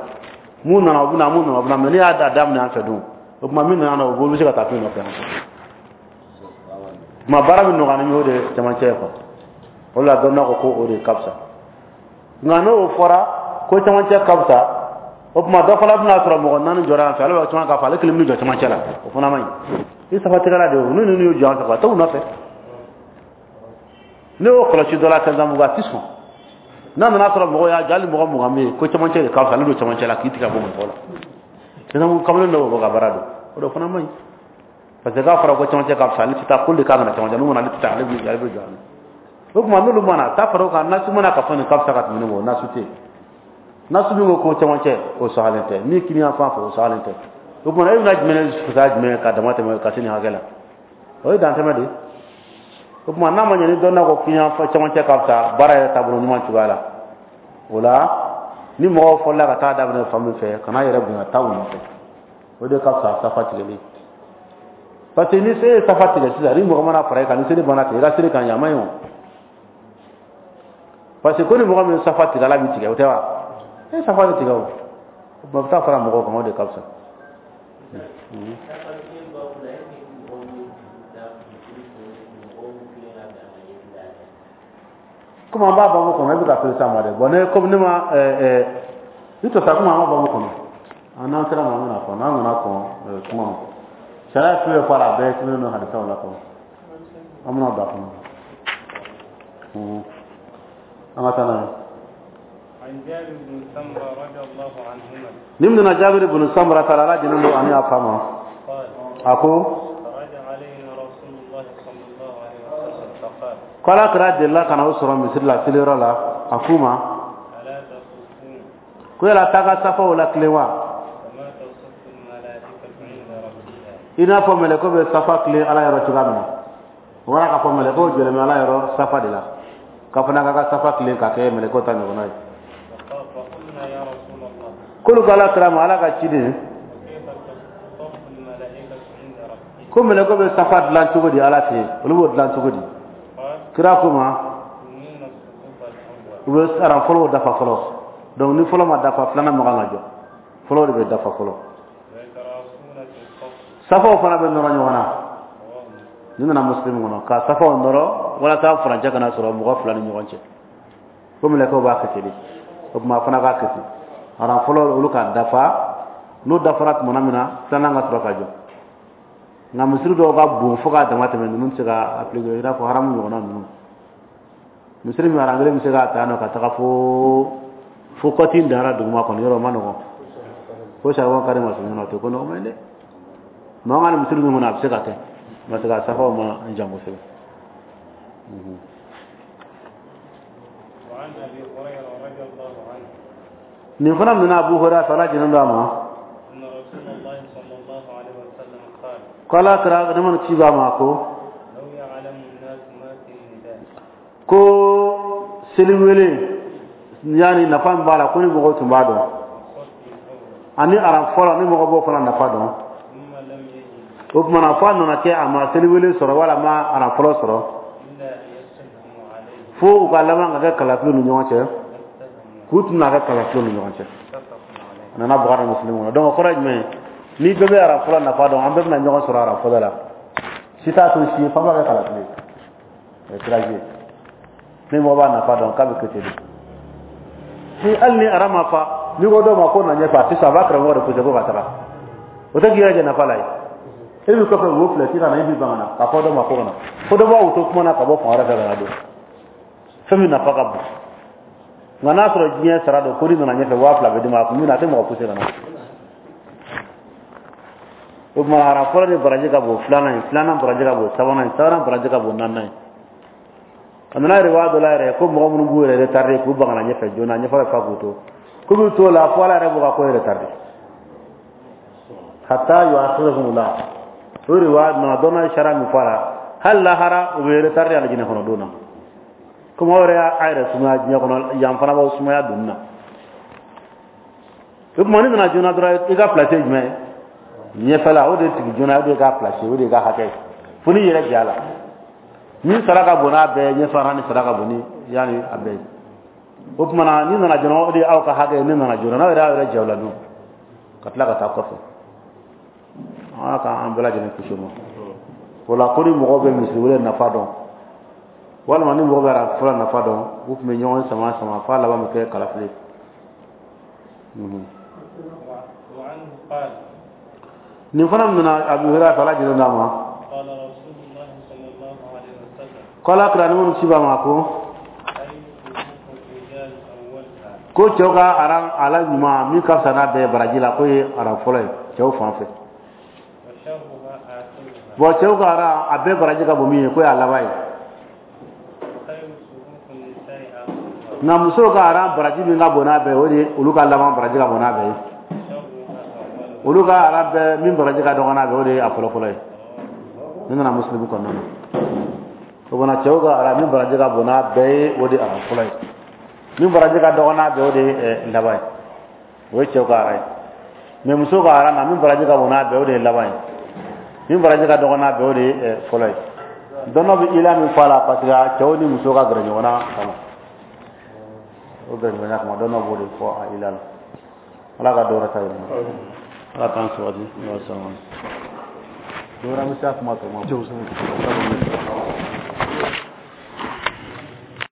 mun nana o bɛ na mun nana o bɛ na mais n'i y'a daminɛ an fɛ dun o tuma min nana o bɛ se ka taa fɛn nɔfɛ yan. Tuma baara min nɔgɔya ni min o de ye cɛmancɛ ye quoi. O de la dɔnniya ko ko o de ka fisa. Nka n'o fɔra ko cɛmancɛ ka fisa o tuma dɔ fana bɛna sɔrɔ mɔgɔ naani jɔra yan fɛ ale b'a caman k'a fɔ ale kelen bɛ jɔ cɛmancɛ la o fana man ɲi. I safatigɛla de o n'u ninnu y'u jɔ an fɛ quoi t'u nɔfɛ. Ne y'o kɔlɔsi dɔ la Kɛnzanbugu a ti sɔn. N'a nana sɔrɔ mɔgɔ y'a jɔ hali mɔgɔ mugan bɛ yen ko cɛmancɛ de ka fisa ale don cɛmancɛ la k'i tigɛ bɔ mɔgɔ la. Kɛnzanbugu kamalen dɔ bɛ bɔ ka baara don o de fana man ɲi. Parce que k'a fɔra ko cɛmancɛ ka fisa ale tɛ taa k'olu de kan ka na cɛmancɛ n'u mana ale tɛ taa ale bɛ ale bɛ jɔ a la. O tuma n'olu mana taa fara o kan nasu mana ka fɔ nin ka fisa ka tɛmɛ nin o nasu tɛ yen. Nasu min ko ko cɛmancɛ o sɔgɔlen tɛ min kini yan fan fɛ o sɔgɔlen tɛ. O tuma e bɛna jumɛn fisaya jumɛn ka dama tɛmɛ ka se nin hakɛ la o ye dantɛmɛ de ye. O tuma n'a ma ɲɛ ni dɔnna ko kini yan fan cɛmancɛ ka fisa baara yɛrɛ taabolo ɲuman cogoya la o la ni mɔgɔw fɔlɔla ka taa daminɛ fan min fɛ kana yɛrɛ bonya taa u nɔfɛ o de ka fisa safa tigɛli. Parce que ni se ye safa tigɛ sisan ni mɔgɔ mana fara e kan ni seli banna tigɛ i ka seli kan ɲɛ a man ɲi o. Parce que ko ni mɔgɔ min ye safa tigɛ ala b'i tigɛ o tɛ wa? E safa de tigɛ o. O tuma bɛ taa fara mɔgɔw kan o de ka fisa. Komi an b'a babu kɔnɔ e bɛ ka fɛn s'a ma dɛ bon ne komi ne ma ɛɛ ɛɛ i tɔ sa komi an b'a babu kɔnɔ an n'an sera ma an bɛna fɔ n'an nana kɔn kuma ma sariya fɛn fɛn fɔ a la a bɛɛ sɛbɛnnen don hadisaw la kɔnɔ an bɛna don a kɔnɔ an ka taa n'a ye. Ni min nana Jabir ibn Samura taala ala jɛnnen don ani a fa ma a ko ko ala kira delila ka na o sɔrɔ misiri la seliyɔrɔ la a k'u ma ko yala taa ka safaw la tilen wa i n'a fɔ mɛlɛkɛ bɛ safa tilen ala yɔrɔ cogoya min na o bɔra k'a fɔ mɛlɛkɛw jɔlen bɛ ala yɔrɔ safa de la k'a fana k'a ka safa tilen k'a kɛ mɛlɛkɛw ta ɲɔgɔnna ye k'olu ko ala kira ma ala ka ciden ko mɛlɛkɛw bɛ safa dilan cogo di ala fɛ yen olu b'o dilan cogo di kira ko ma u bɛ aran fɔlɔw dafa fɔlɔ donc ni fɔlɔ ma dafa filanan ma kan ka jɔ fɔlɔ de bɛ dafa fɔlɔ safaw fana bɛ nɔrɔ ɲɔgɔn na ni nana muslim kɔnɔ ka safaw nɔrɔ walasa furancɛ kana sɔrɔ mɔgɔ fila ni ɲɔgɔn cɛ ko mɛlɛkɛw b'a kɛ ten de o tuma a fana k'a kɛ ten aran fɔlɔ olu ka dafa n'o dafara tuma min na filanan ka sɔrɔ ka jɔ nka misiri dɔw ka bon fo k'a dama tɛmɛ ninnu tɛ se ka appliquer i n'a fɔ haramu ɲɔgɔnna ninnu misiri min aran kelen bɛ se k'a ta yan nɔ ka taga fo fo kɔti dara duguma kɔni yɔrɔ ma nɔgɔn fo saribɔn kari ma sɔrɔ o tɛ ko nɔgɔma ye dɛ mɛ an ka nin misiri ninnu kɔnɔ a bɛ se ka kɛ parce que a safaw ma jan kosɛbɛ. Nin fana minɛ Abu Hurairah ala jɛnnen don a ma. Ko Ala kira, nɛɛma ni kisi b'a ma, ko لو يعلم الناس ما في النداء. Ko seliwele, yani nafa min b'a la, ko ni mɔgɔw tun b'a dɔn, والصف الأول. Ani aran fɔlɔ, ni mɔgɔ b'o fana nafa dɔn. ثم لم يجد O tuma na, fo a nana kɛ a ma seliwele sɔrɔ wala a ma aran fɔlɔ sɔrɔ, إلا أن يستهموا عليه. fo u ka laban ka kɛ kalafiliw ni ɲɔgɔn cɛ, لاستهموا. K'u tun n'a kɛ kalafiliw ni ɲɔgɔn cɛ. متفق عليه. A nana Bukhari, Muslim kɔnɔ. Donc o kɔrɔ ye jumɛn ye? Ni bɛɛ bɛ aran fɔlɔ nafa dɔn, an bɛɛ bɛna ɲɔgɔn sɔrɔ aran fɔlɔ la. Si t'a to si ye, f'an b'a kɛ kalafili ye, o ye tirage ye. Ni mɔgɔ b'a nafa dɔn k'a bɛ kɛ ten de. Ni hali ni aran ma fa, n'i ko dɔw ma ko na ɲɛfɛ, a tɛ sɔn, a b'a karamɔgɔ de poussé ko ka taga. O tɛ k'i yɛrɛ jɛ nafa la ye. E b'i kɔfɛ, wo filɛ sisan, e b'i ban ka na k'a fɔ dɔ ma ko ka na, fo dɔ b'a to kuma na ka bɔ fan wɛrɛ fɛ ka na don fɛn min nafa ka bon. Nka n'a sɔrɔ diɲɛ sara don, ko n'i nana ɲɛfɛ, waa fila bɛ d'i ma, a kun bɛ na, a tɛ mɔgɔ poussé ka na. O tuma, aran fɔlɔ de baraji ka bon filanan ye, filanan baraji ka bon sabanan ye, sabanan baraji ka bon naaninan ye. A nana yɛrɛ waa dɔ la yɛrɛ ko mɔgɔ minnu b'u yɛrɛ retardé k'u ban ka na ɲɛfɛ joona, ɲɛfɛ bɛ fa k'u to, k'u b'u to la fo Ala yɛrɛ b'u ka ko retardé hatta yu'akhirahum la. O de waa nana dɔnna ye sariya min fɔ a la, hali lahara u bɛ retardé alijinɛ kɔnɔ don na. Komi aw yɛrɛ y'a yɛrɛ sumaya diɲɛ kɔnɔ, yan fana b'aw sumaya donni na. O tuma, n'i nana joona dɔrɔn, i ka place ye jumɛn ye? Ɲɛfɛla o de sigi joona, o de ka place, o de ka hakɛ ye, fo n'i yɛrɛ jɛ a la. Min sara ka bon n'a bɛɛ ye, ɲɛfɛ ni sara ka bon ni yanni a bɛɛ ye. O tuma na, n'i nana joona, o de ye aw ka hakɛ ye. N'i nana joona, n'aw yɛrɛ y'aw yɛrɛ jɛ o la dun, ka tila ka taa kɔfɛ, Ala k'an bɛɛ lajɛlen kisi o ma. O la, ko ni mɔgɔw bɛ misiri wele nafa dɔn, walima ni mɔgɔ bɛ fɔlɔ nafa dɔn, u tun bɛ ɲɔgɔn sama sama f'a laban bɛ kɛ kalafili ye. وعنه قال: Nin fana nana Abu Hurairah fɛ, Ala jɛnna d'a ma. قال رسول الله صلى الله عليه وسلم: Ko Ala kira, ni minnu ci b'a ma, ko خير صفوف الرجال أولها. Ko cɛw ka aran ala ɲuman min ka fisa n'a bɛɛ ye baraji la, k'o ye aran fɔlɔ ye cɛw fan fɛ. وشرها آخرها. Bon, cɛw ka aran a bɛɛ baraji ka bon min ye, k'o y'a laban ye. وخير صفوف النساء آخرها. Nka musow ka aran baraji min ka bon n'a bɛɛ ye, o de ye olu ka laban baraji ka bon n'a bɛɛ ye. وشرها أولها. Olu ka aran bɛɛ min baraji ka dɔgɔ n'a bɛɛ, o de ye a fɔlɔfɔlɔ ye. Nin nana Musilimu kɔnɔna na. O fana, cɛw ka aran min baraji ka bon n'a bɛɛ ye, o de ye aran fɔlɔ ye. Min baraji ka dɔgɔ n'a bɛɛ, o de ye ɛ, laban ye. O ye cɛw ka aran ye. Mais musow ka aran na, min baraji ka bon n'a bɛɛ, o de ye laban ye. Min baraji ka dɔgɔ n'a bɛɛ, o de ye ɛ, fɔlɔ ye. Dɔnɔ bɛ ila min fɔ a la, parce que cɛw ni musow ka gɛrɛ ɲɔgɔn na kama, o gɛrɛ ɲɔgɔnya kama, dɔnɔ b'o de fɔ a ila la. Ala ka dɔwɛrɛ ta yɛlɛma, Ala k'an sabati. Ala sɔnna, dɔwɛrɛ, an bɛ se a kuma tɔ ma.